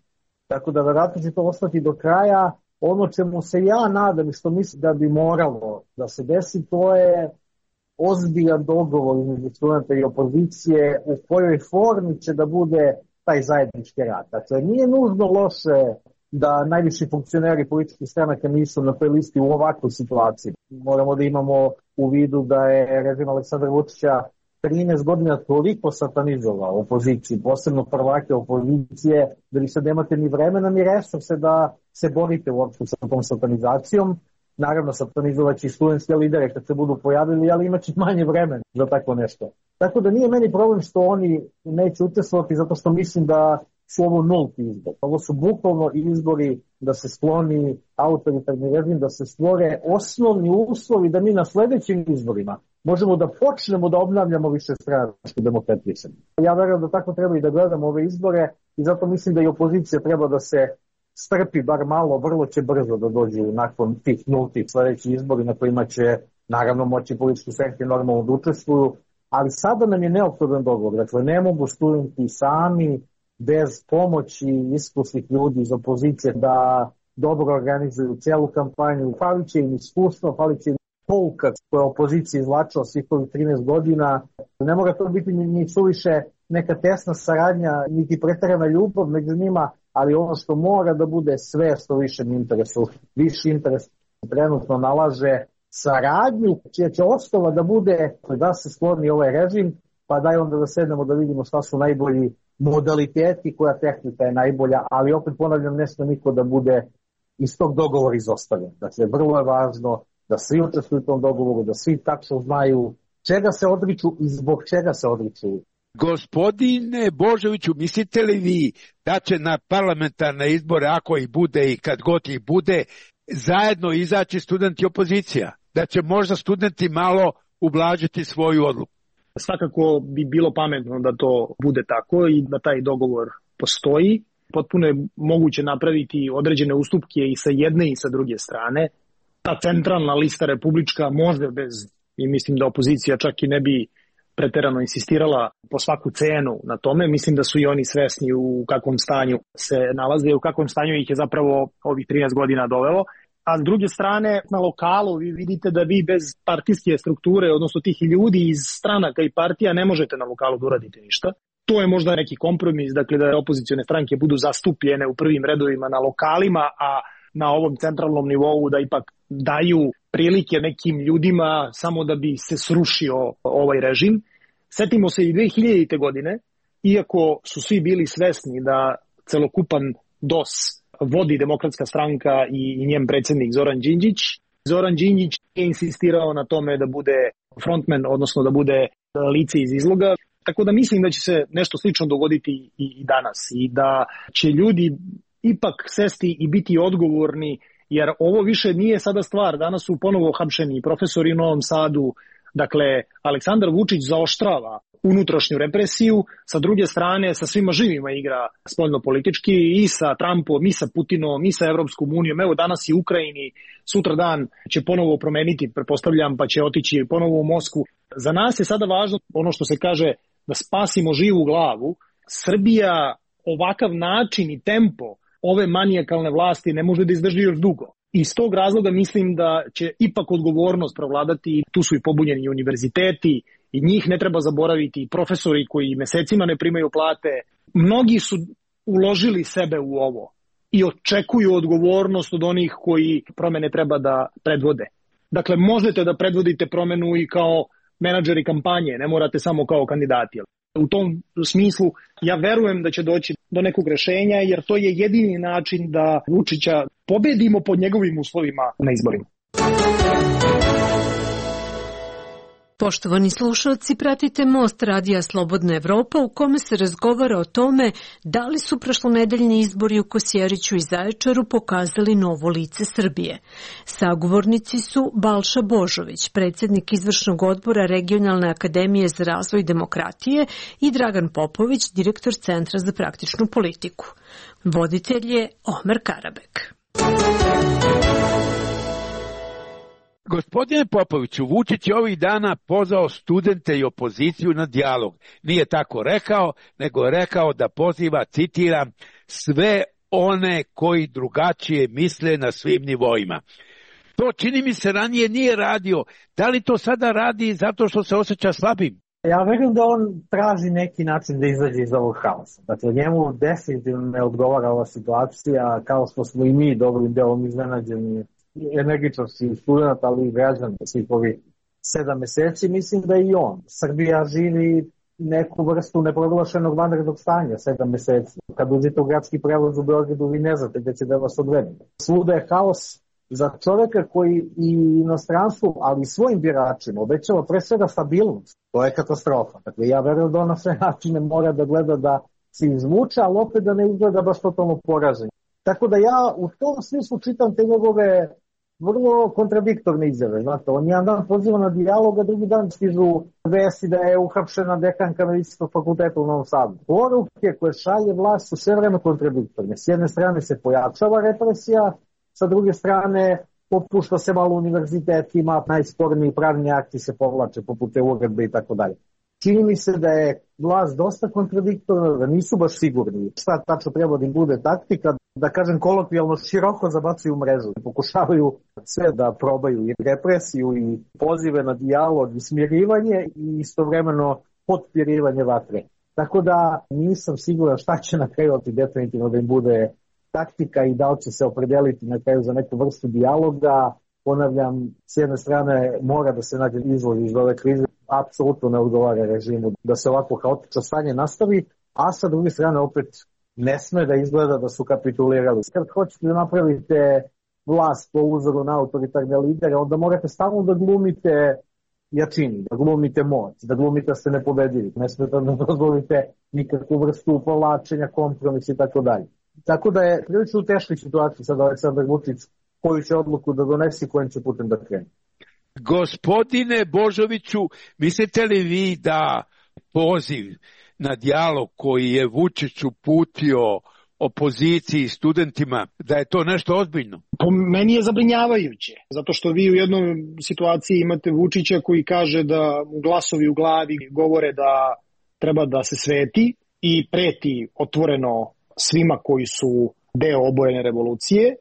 Tako da verovatno će to ostati do kraja. Ono čemu se ja nadam i što mislim da bi moralo da se desi, to je ozbiljan dogovor između studenta i opozicije u kojoj formi će da bude taj zajednički rad. Dakle, nije nužno loše da najviši funkcioneri političkih stranaka nisu na toj listi u ovakvoj situaciji. Moramo da imamo u vidu da je režim Aleksandra Vučića 13 godina toliko satanizovao opoziciju, posebno prvake opozicije, da vi sad nemate ni vremena ni resurse da se borite uopšte sa tom satanizacijom. Naravno, satanizovaći studentske lidere kad se budu pojavili, ali imaće manje vremena za tako nešto. Tako da nije meni problem što oni neće učestvovati, zato što mislim da su ovo nulti izbor. Ovo su bukvalno izbori da se skloni autoritarni režim, da se stvore osnovni uslovi da mi na sledećim izborima možemo da počnemo da obnavljamo višestranačku demokratiju. Ja verujem da tako treba i da gledamo ove izbore i zato mislim da i opozicija treba da se strpi bar malo, vrlo će brzo da dođu nakon tih nultih sledećih izbori na kojima će naravno moći politički stranke normalno da učestvuju, ali sada nam je neophodan dogovor. Dakle, ne mogu studenti sami bez pomoći iskusnih ljudi iz opozicije da dobro organizuju celu kampanju. Falit će im iskustvo, falit će im pouka koja opozicija izvlačila svih ovih 13 godina. Ne mora to biti ni suviše neka tesna saradnja, niti preterana ljubav među njima, ali ono što mora da bude sve što višem interesu. Viši interes trenutno nalaže saradnju, čija će osnova da bude da se skloni ovaj režim, pa daj onda da sednemo da vidimo šta su najbolji modaliteti, koja tehnika je najbolja, ali opet ponavljam, ne sme niko da bude iz tog dogovora izostavljen. Dakle, vrlo je važno da svi učestvuju u tom dogovoru, da svi tačno znaju čega se odriču i zbog čega se odriču. Gospodine Božoviću, mislite li vi da će na parlamentarne izbore, ako ih bude i kad god ih bude, zajedno izaći studenti i opozicija? Da će možda studenti malo ublažiti svoju odluku? Svakako bi bilo pametno da to bude tako i da taj dogovor postoji. Potpuno je moguće napraviti određene ustupke i sa jedne i sa druge strane. Ta centralna lista republička može bez, i mislim da opozicija čak i ne bi preterano insistirala po svaku cenu na tome. Mislim da su i oni svesni u kakvom stanju se nalaze i u kakvom stanju ih je zapravo ovih 13 godina dovelo. a s druge strane na lokalu vi vidite da vi bez partijske strukture, odnosno tih ljudi iz stranaka i partija, ne možete na lokalu da uradite ništa. To je možda neki kompromis, dakle da opozicione stranke budu zastupljene u prvim redovima na lokalima, a na ovom centralnom nivou da ipak daju prilike nekim ljudima samo da bi se srušio ovaj režim. Setimo se i 2000. godine, iako su svi bili svesni da celokupan DOS vodi Demokratska stranka i njen predsjednik Zoran Đinđić. Zoran Đinđić je insistirao na tome da bude frontman, odnosno da bude lice iz izloga. Tako da mislim da će se nešto slično dogoditi i danas i da će ljudi ipak sesti i biti odgovorni, jer ovo više nije sada stvar. Danas su ponovo hapšeni profesori u Novom Sadu. Dakle, Aleksandar Vučić zaoštrava unutrašnju represiju, sa druge strane sa svima živima igra spoljno-politički i sa Trumpom, i sa Putinom, i sa Evropskom unijom. Evo danas i u Ukrajini, sutra dan će ponovo promeniti, pretpostavljam, pa će otići ponovo u Moskvu. Za nas je sada važno ono što se kaže da spasimo živu glavu. Srbija ovakav način i tempo ove manijakalne vlasti ne može da izdrži još dugo. Iz tog razloga mislim da će ipak odgovornost provladati. Tu su i pobunjeni univerziteti i njih ne treba zaboraviti, profesori koji mesecima ne primaju plate. Mnogi su uložili sebe u ovo i očekuju odgovornost od onih koji promene treba da predvode. Dakle, možete da predvodite promenu i kao menadžeri kampanje, ne morate samo kao kandidati. U tom smislu ja verujem da će doći do nekog rešenja, jer to je jedini način da Vučića pobedimo pod njegovim uslovima na izborima. Poštovani slušalci, pratite Most radija Slobodna Evropa u kome se razgovara o tome da li su prošlonedeljni izbori u Kosjeriću i Zaječaru pokazali novo lice Srbije. Sagovornici su Balša Božović, predsjednik izvršnog odbora Regionalne akademije za razvoj demokratije, i Dragan Popović, direktor Centra za praktičnu politiku. Voditelj je Omer Karabek. Gospodine Popoviću, Vučić je ovih dana pozvao studente i opoziciju na dijalog. Nije tako rekao, nego je rekao da poziva, citiram, sve one koji drugačije misle na svim nivoima. To čini mi se ranije nije radio. Da li to sada radi zato što se osjeća slabim? Ja verujem da on traži neki način da izađe iz ovog haosa. Dakle, njemu definitivno ne odgovara ova situacija, kao što smo i mi dobrim delom iznenađeni energičnosti studenta, ali i građana svih ovih 7 meseci. Mislim da i on. Srbija živi neku vrstu neproglašenog vanrednog stanja 7 meseci. Kad uđete u gradski prevoz u Beogradu, vi ne znate gde će da vas odvede. Svuda je haos. Za čoveka koji i inostranstvu, ali i svojim biračima obećava pre svega stabilnost, to je katastrofa. Dakle, ja verujem da on na sve načine mora da gleda da se izvuče, ali opet da ne izgleda baš totalno poražen. Tako da ja u tom smislu čitam te njegove vrlo kontradiktorne izjave. Znate, on jedan dan poziva na dijalog, a drugi dan stižu vesti da je uhapšena dekanka Medicinskog fakulteta u Novom Sadu. Poruke koje šalje vlast su sve vreme kontradiktorne. S jedne strane se pojačava represija, sa druge strane popušta se malo univerzitetima, najsporniji pravni akti se povlače poput te uredbe i tako dalje. Čini mi se da je vlast dosta kontradiktorna, da nisu baš sigurni šta tačno treba da im bude taktika, da kažem kolokvijalno široko zabacuju mrežu. Pokušavaju sve da probaju i represiju i pozive na dijalog i smirivanje i istovremeno potpirivanje vatre. Tako da nisam siguran šta će na kraju definitivno da im bude taktika i da li će se opredeliti na kraju za neku vrstu dijaloga. Ponavljam, s jedne strane mora da se nađe izvod iz ove krize, apsolutno ne odgovara režimu da se ovako haotično stanje nastavi, a sa druge strane opet ne sme da izgleda da su kapitulirali. Kad hoćete da napravite vlast po uzoru na autoritarne lidere, onda morate stalno da glumite jačini, da glumite moć, da glumite da ste nepobedivi. Ne smete da dozvolite nikakvu vrstu povlačenja, kompromisa i tako dalje. Tako da je prilično u teškoj situaciji sad Aleksandar Vučić, koju će odluku da donesi i kojim će putem da krene. Gospodine Božoviću, mislite li vi da poziv na dijalog koji je Vučić uputio opoziciji i studentima, da je to nešto ozbiljno? Po meni je zabrinjavajuće, zato što vi u jednoj situaciji imate Vučića koji kaže da glasovi u glavi govore da treba da se sveti i preti otvoreno svima koji su deo obojene revolucije,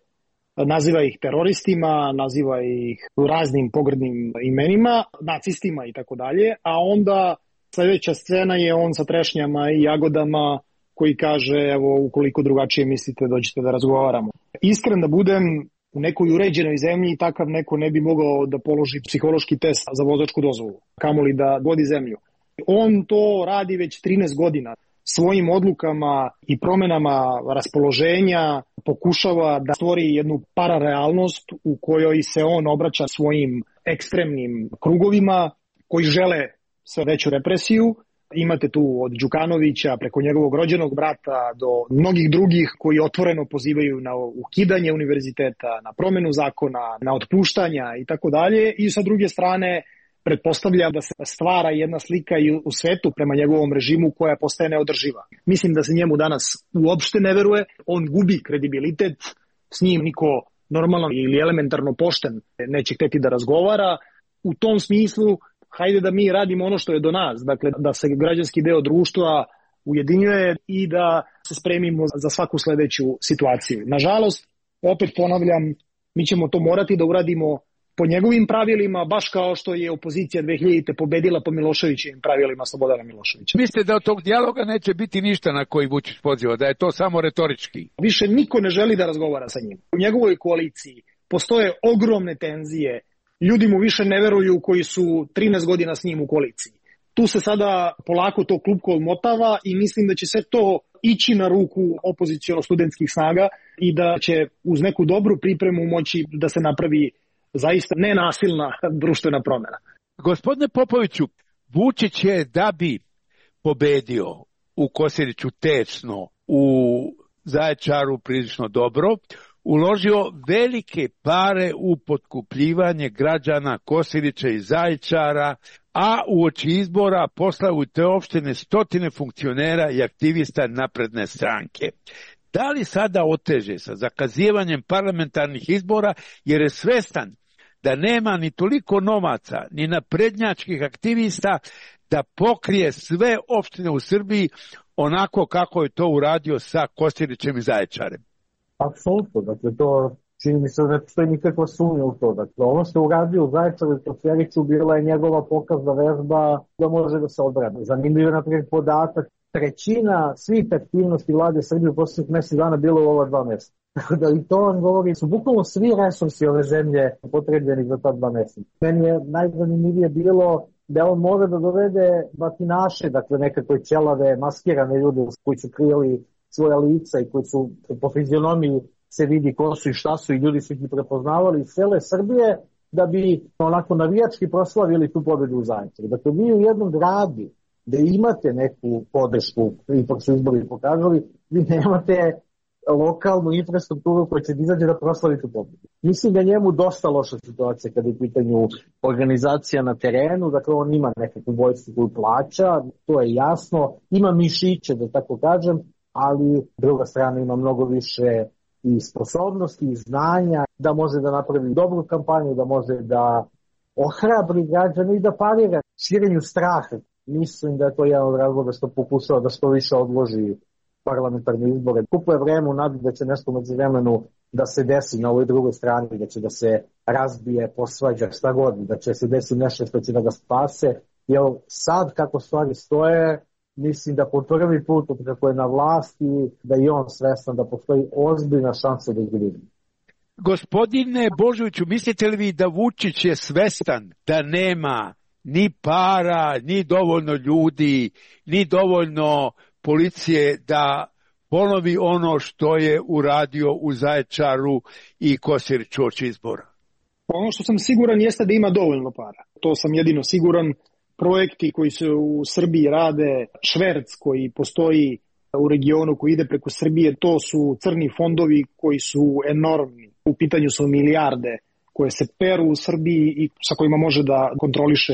naziva ih teroristima, naziva ih raznim pogrdnim imenima, nacistima i tako dalje, a onda sledeća scena je on sa trešnjama i jagodama koji kaže, evo, ukoliko drugačije mislite, dođite da razgovaramo. Iskren da budem, u nekoj uređenoj zemlji takav neko ne bi mogao da položi psihološki test za vozačku dozvolu, kamoli da vodi zemlju. On to radi već 13 godina. Svojim odlukama i promenama raspoloženja pokušava da stvori jednu pararealnost u kojoj se on obraća svojim ekstremnim krugovima koji žele sve veću represiju. Imate tu od Đukanovića preko njegovog rođenog brata do mnogih drugih koji otvoreno pozivaju na ukidanje univerziteta, na promenu zakona, na otpuštanja i tako dalje. I sa druge strane pretpostavlja da se stvara jedna slika i u svetu prema njegovom režimu koja postaje neodrživa. Mislim da se njemu danas uopšte ne veruje, on gubi kredibilitet, s njim niko normalno ili elementarno pošten neće hteti da razgovara. U tom smislu, hajde da mi radimo ono što je do nas, dakle da se građanski deo društva ujedinjuje i da se spremimo za svaku sledeću situaciju. Nažalost, opet ponavljam, mi ćemo to morati da uradimo po njegovim pravilima, baš kao što je opozicija 2000. pobedila po Miloševićevim pravilima Slobodana Miloševića. Mislite da od tog dijaloga neće biti ništa na koji Vučić poziva, da je to samo retorički? Više niko ne želi da razgovara sa njim. U njegovoj koaliciji postoje ogromne tenzije, ljudi mu više ne veruju koji su 13 godina s njim u koaliciji. Tu se sada polako to klupko odmotava i mislim da će sve to ići na ruku opoziciono-studentskih snaga i da će uz neku dobru pripremu moći da se napravi zaista nenasilna društvena promjena. Gospodine Popoviću, Vučić je da bi pobedio u Kosjeriću tesno, u Zaječaru prilično dobro, uložio velike pare u potkupljivanje građana Kosjerića i Zaječara, a uoči izbora poslao u te opštine stotine funkcionera i aktivista napredne stranke. Da li sada oteže sa zakazivanjem parlamentarnih izbora jer je svestan da nema ni toliko novaca, ni naprednjačkih aktivista da pokrije sve opštine u Srbiji onako kako je to uradio sa Kosjerićem i Zaječarem? Apsolutno, dakle to čini mi se da ne postoji nikakva sumnja u to. Dakle, ono što je uradio u Zaječaru i Kosjeriću bila je njegova pokazna vežba da može da se odbrani. Zanimljiv je naprijed podatak, trećina svih aktivnosti vlade Srbije u posljednjih mesec dana bilo u ova 2 mjeseca. Da i to vam govori, su bukvalno svi resursi ove zemlje potrebljeni za ta 2 mjeseca. Meni je najzanimljivije bilo da on može da dovede batinaše, dakle nekakve ćelave, maskirane ljude koji su krijeli svoja lica i koji su po fizionomiji se vidi ko su i šta su i ljudi su ih prepoznavali iz cele Srbije da bi onako navijački proslavili tu pobedu u Zaječaru. Dakle, vi u jednom gradu da imate neku podršku, ipak su izbori pokazali, vi nemate lokalnu infrastrukturu koja će da izađe da proslavi tu pobedu. Mislim da njemu dosta loša situacija kada je u pitanju organizacija na terenu, dakle on ima nekakvu vojsku koju plaća, to je jasno, ima mišiće da tako kažem, ali druga strana ima mnogo više i sposobnosti i znanja da može da napravi dobru kampanju, da može da ohrabri građane i da parira širenju straha. Mislim da je to jedan od razloga što pokušava da što više odloži parlamentarne izbore. Kupuje vreme u nadi da će nešto među vremenu da se desi na ovoj drugoj strani, da će da se razbije, posvađa, šta god, da će se desi nešto što će da ga spase. Jer sad kako stvari stoje, mislim da po prvi put kako je na vlasti, da je on svestan da postoji ozbiljna šansa da izgubi. Gospodine Božoviću, mislite li vi da Vučić je svestan da nema ni para, ni dovoljno ljudi, ni dovoljno policije da ponovi ono što je uradio u Zaječaru i Kosjeriću uoči izbora? Ono što sam siguran jeste da ima dovoljno para. To sam jedino siguran. Projekti koji se u Srbiji rade, šverc koji postoji u regionu koji ide preko Srbije, to su crni fondovi koji su enormni. U pitanju su milijarde koje se peru u Srbiji i sa kojima može da kontroliše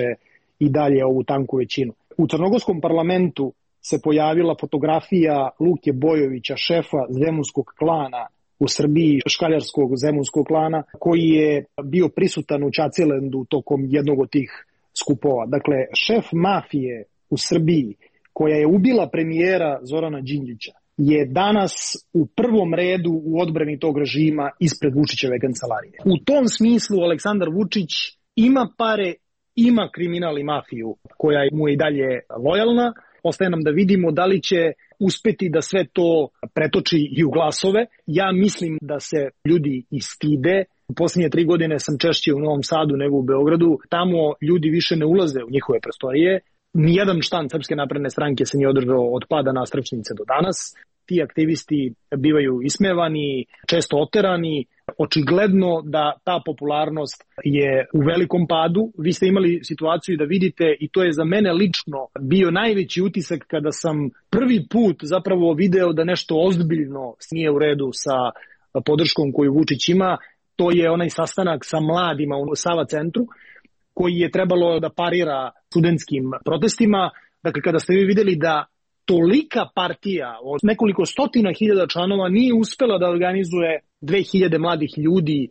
i dalje ovu tanku većinu. U crnogorskom parlamentu se pojavila fotografija Luke Bojovića, šefa zemunskog klana u Srbiji, škaljarskog zemunskog klana, koji je bio prisutan u Čacilendu tokom jednog od tih skupova. Dakle, šef mafije u Srbiji, koja je ubila premijera Zorana Đinđića, je danas u prvom redu u odbrani tog režima ispred Vučićeve kancelarije. U tom smislu Aleksandar Vučić ima pare, ima kriminal i mafiju koja mu je i dalje lojalna. Ostaje nam da vidimo da li će uspeti da sve to pretoči i u glasove. Ja mislim da se ljudi i stide. U posljednje 3 godine sam češće u Novom Sadu nego u Beogradu. Tamo ljudi više ne ulaze u njihove prostorije. Nijedan štand Srpske napredne stranke se nije održao od pada Nastrčnice do danas. Ti aktivisti bivaju ismevani, često oterani. Očigledno da ta popularnost je u velikom padu. Vi ste imali situaciju da vidite, i to je za mene lično bio najveći utisak kada sam prvi put zapravo video da nešto ozbiljno nije u redu sa podrškom koju Vučić ima. To je onaj sastanak sa mladima u Sava centru koji je trebalo da parira studentskim protestima. Dakle, kada ste vi videli da tolika partija od nekoliko stotina hiljada članova nije uspela da organizuje 2000 mladih ljudi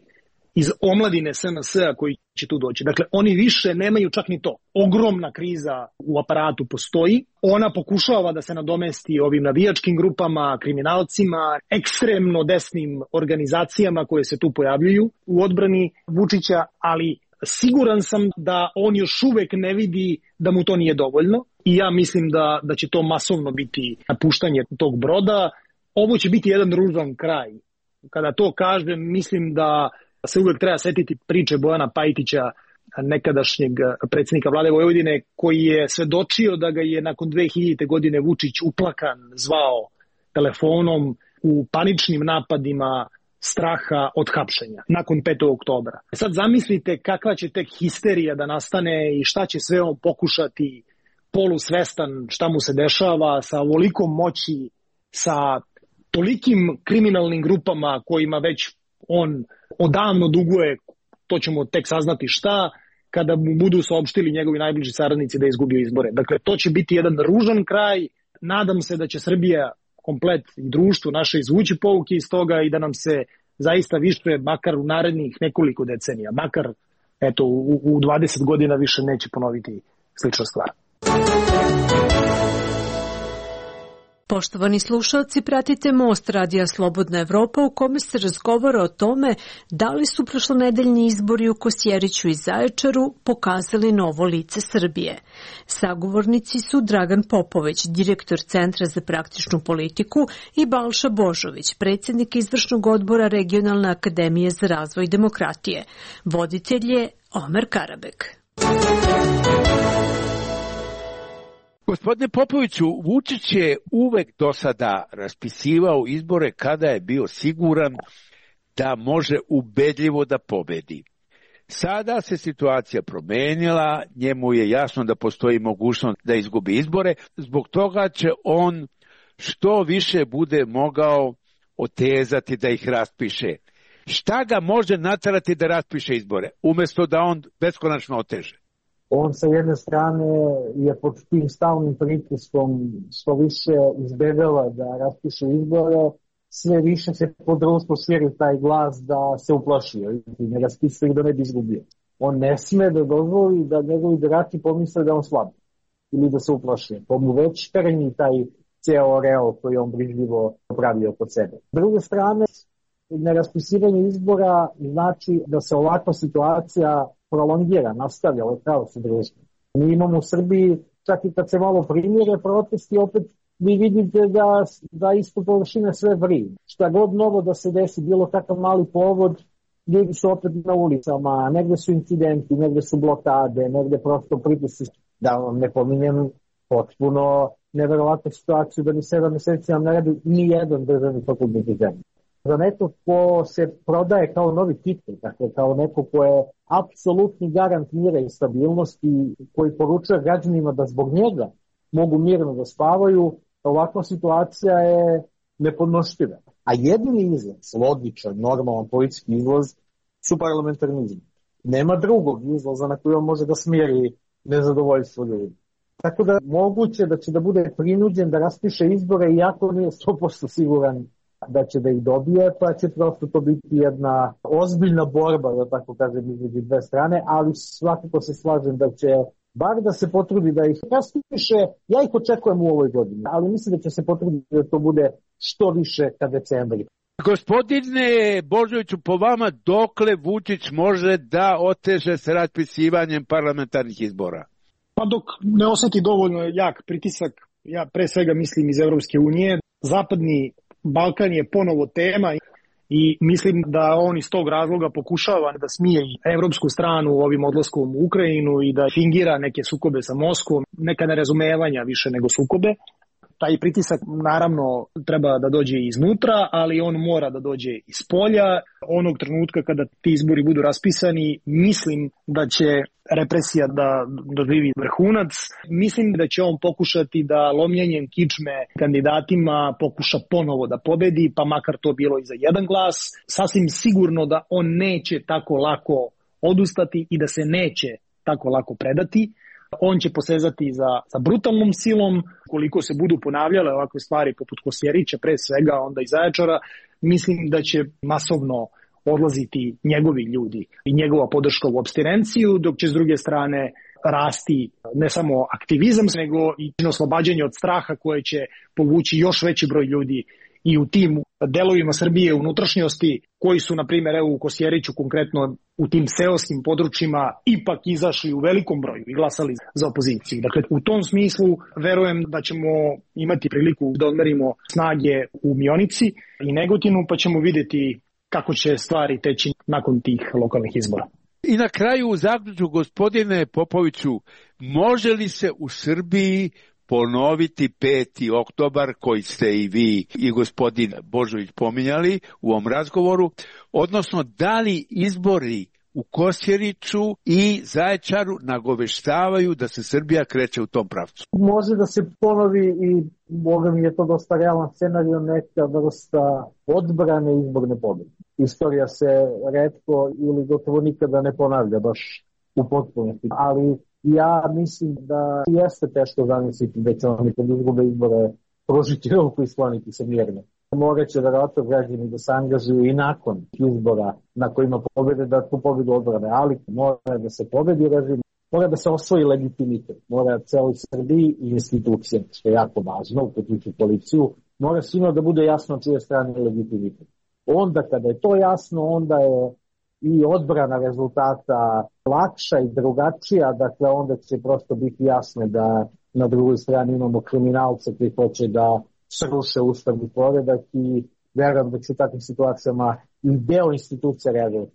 iz omladine SNS-a koji će tu doći. Dakle, oni više nemaju čak ni to. Ogromna kriza u aparatu postoji. Ona pokušava da se nadomesti ovim navijačkim grupama, kriminalcima, ekstremno desnim organizacijama koje se tu pojavljuju u odbrani Vučića, ali siguran sam da on još uvek ne vidi da mu to nije dovoljno i ja mislim da će to masovno biti napuštanje tog broda. Ovo će biti jedan ružan kraj. Kada to kažem, mislim da se uvek treba setiti priče Bojana Pajtića, nekadašnjeg predsjednika vlade Vojvodine, koji je svedočio da ga je nakon 2000. godine Vučić uplakan zvao telefonom u paničnim napadima straha od hapšenja nakon 5. oktobra. Sad zamislite kakva će tek histerija da nastane i šta će sve on pokušati polusvestan šta mu se dešava sa ovolikom moći, sa tolikim kriminalnim grupama kojima već on odavno duguje, to ćemo tek saznati šta, kada mu budu saopštili njegovi najbliži saradnici da je izgubio izbore. Dakle, to će biti jedan ružan kraj. Nadam se da će Srbija komplet i društvo naše izvući pouke iz toga i da nam se zaista više, makar u narednih nekoliko decenija, makar eto, u 20 godina više neće ponoviti slična stvar. Poštovani slušalci, pratite Most radija Slobodna Evropa u kome se razgovara o tome da li su prošlonedeljni izbori u Kosjeriću i Zaječaru pokazali novo lice Srbije. Sagovornici su Dragan Popović, direktor Centra za praktičnu politiku, i Balša Božović, predsjednik izvršnog odbora Regionalne akademije za razvoj demokratije. Voditelj je Omer Karabek. Gospodine Popoviću, Vučić je uvek do sada raspisivao izbore kada je bio siguran da može ubedljivo da pobedi. Sada se situacija promenila, njemu je jasno da postoji mogućnost da izgubi izbore, zbog toga će on što više bude mogao otezati da ih raspiše. Šta ga može naterati da raspiše izbore, umjesto da on beskonačno oteže? On sa jedne strane je pod tim stalnim pritiskom što više izbegava da raspiše izbore, sve više se po društvu širi taj glas da se uplašio i ne raspisuje da ne bi izgubio. On ne sme da dozvoli da njegovi birači pomisle da on slabi ili da se uplašio. To mu već tereni taj ceo oreol koji on brižljivo pravio kod sebe. S druge strane, neraspisivanje izbora znači da se ovakva situacija prolongira, nastavlja ovaj kaos u društvu. Mi imamo u Srbiji, čak i kad se malo primire protesti, opet vi vidite da isto površine sve vrije. Šta god novo da se desi, bilo kakav mali povod, ljudi su opet na ulicama, negde su incidenti, negde su blokade, negde prosto pritisci. Da vam ne pominjem potpuno neverovatnu situaciju da ni 7 meseci nam ne radi ni jedan državni fakultet u zemlji. Za neko ko se prodaje kao novi titul, dakle kao neko ko je apsolutni garant mira i stabilnosti, koji poručuje građanima da zbog njega mogu mirno da spavaju, ovakva situacija je nepodnošljiva. A jedini izlaz, logičan, normalan politički izlaz, su parlamentarni izbori. Nema drugog izlaza na koji on može da smiri nezadovoljstvo ljudi. Tako da moguće da će da bude prinuđen da raspiše izbore, iako nije 100% siguran da će da ih dobije, pa će prosto to biti jedna ozbiljna borba, da tako kažem, između dve strane, ali svakako se slažem da će bar da se potrudi da ih raspiše. Ja ih očekujem u ovoj godini, ali mislim da će se potruditi da to bude što više ka decembri. Gospodine Božoviću, po vama dokle Vučić može da oteže s raspisivanjem parlamentarnih izbora? Pa dok ne osjeti dovoljno jak pritisak, ja pre svega mislim iz Evropske unije, Zapadni Balkan je ponovo tema i mislim da on iz tog razloga pokušava da smije evropsku stranu ovim odlaskom u Ukrajinu i da fingira neke sukobe sa Moskvom, neka nerazumevanja više nego sukobe. Taj pritisak naravno treba da dođe iznutra, ali on mora da dođe iz polja. Onog trenutka kada ti izbori budu raspisani, mislim da će represija da doživi vrhunac. Mislim da će on pokušati da lomljenjem kičme kandidatima pokuša ponovo da pobedi, pa makar to bilo i za jedan glas. Sasvim sigurno da on neće tako lako odustati i da se neće tako lako predati. On će posezati za brutalnom silom. Koliko se budu ponavljale ovakve stvari poput Kosjerića, pre svega onda i Zaječara, mislim da će masovno odlaziti njegovi ljudi i njegova podrška u apstinenciju, dok će s druge strane rasti ne samo aktivizam, nego i oslobađanje od straha koje će povući još veći broj ljudi i u tim delovima Srbije unutrašnjosti koji su, na primjer, evo u Kosjeriću konkretno u tim seoskim područjima ipak izašli u velikom broju i glasali za opoziciju. Dakle, u tom smislu verujem da ćemo imati priliku da odmerimo snage u Mionici i Negotinu, pa ćemo vidjeti kako će stvari teći nakon tih lokalnih izbora. I na kraju u zaključku, gospodine Popoviću, može li se u Srbiji ponoviti 5. oktobar koji ste i vi i gospodin Božović pominjali u ovom razgovoru, odnosno da li izbori u Kosjeriću i Zaječaru nagoveštavaju da se Srbija kreće u tom pravcu? Može da se ponovi i možda mi je to dosta realan scenario, neka vrsta odbrane izborne pobjede. Istorija se retko ili gotovo nikada ne ponavlja baš u potpunosti, ali ja mislim da jeste teško zamisliti da će oni kad izgube izbore pružiti ruku i skloniti se mirno. Morat će verovatno građani da se angažuju i nakon izbora na kojima pobede da tu pobedu odbrane, ali mora da se pobedi režim, mora da se osvoji legitimitet, mora celoj Srbiji i institucije, što je jako važno, uključujući policiju, mora svima da bude jasno čije strane legitimitet. Onda kada je to jasno, onda je i odbrana rezultata lakša i drugačija, dakle onda će prosto biti jasno da na drugoj strani imamo kriminalce koji hoće da sruše ustavni poredak i verujem da će u takvim situacijama i deo institucija reagovati.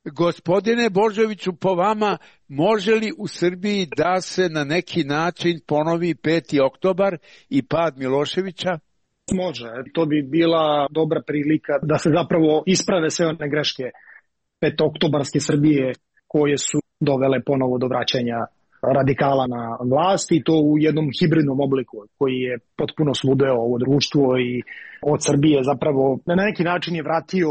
Gospodine Božoviću, po vama može li u Srbiji da se na neki način ponovi 5. oktobar i pad Miloševića? Može, to bi bila dobra prilika da se zapravo isprave sve one greške 5. oktobarske Srbije koje su dovele ponovo do vraćanja radikala na vlast i to u jednom hibridnom obliku koji je potpuno sludeo ovo društvo i od Srbije zapravo na neki način je vratio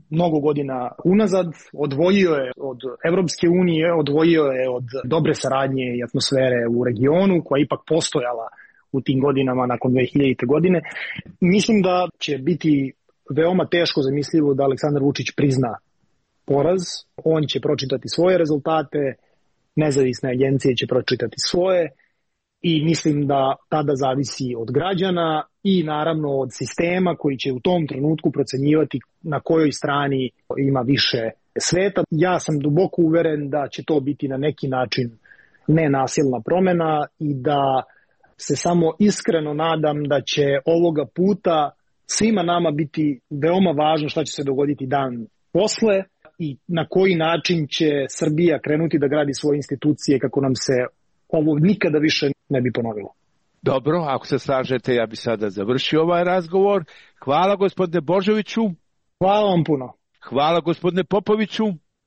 mnogo godina unazad, odvojio je od Evropske unije, odvojio je od dobre saradnje i atmosfere u regionu koja je ipak postojala u tim godinama nakon 2000. godine. Mislim da će biti veoma teško zamislivo da Aleksandar Vučić prizna poraz. On će pročitati svoje rezultate, nezavisne agencije će pročitati svoje i mislim da tada zavisi od građana i naravno od sistema koji će u tom trenutku procenjivati na kojoj strani ima više sveta. Ja sam duboko uveren da će to biti na neki način nenasilna promena i da se samo iskreno nadam da će ovoga puta svima nama biti veoma važno šta će se dogoditi dan posle i na koji način će Srbija krenuti da gradi svoje institucije kako nam se ovo nikada više ne bi ponovilo. Dobro, ako se slažete, ja bi sada završio ovaj razgovor. Hvala gospodine Božoviću. Hvala vam puno. Hvala gospodine Popoviću.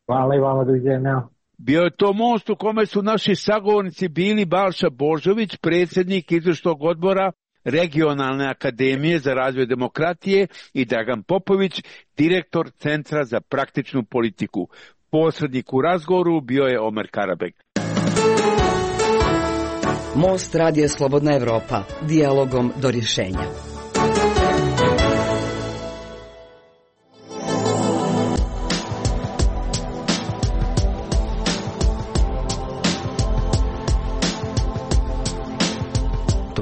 Hvala i vama, doviđenja. Bio je to most u kome su naši sagovornici bili Balša Božović, predsjednik izvršnog odbora Regionalne akademije za razvoj demokratije i Dragan Popović, direktor Centra za praktičnu politiku. Posrednik u razgovoru bio je Omer Karabek. Most Radija Slobodna Evropa, dijalogom do rješenja.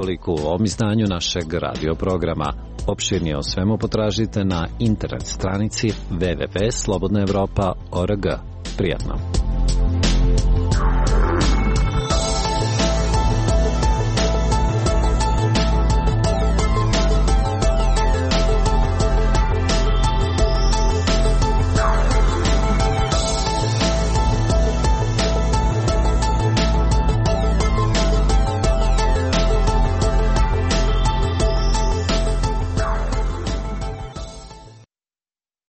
toliko u ovom izdanju našeg radio programa. Opširnije o svemu potražite na internet stranici www.slobodnaevropa.org. Prijatno!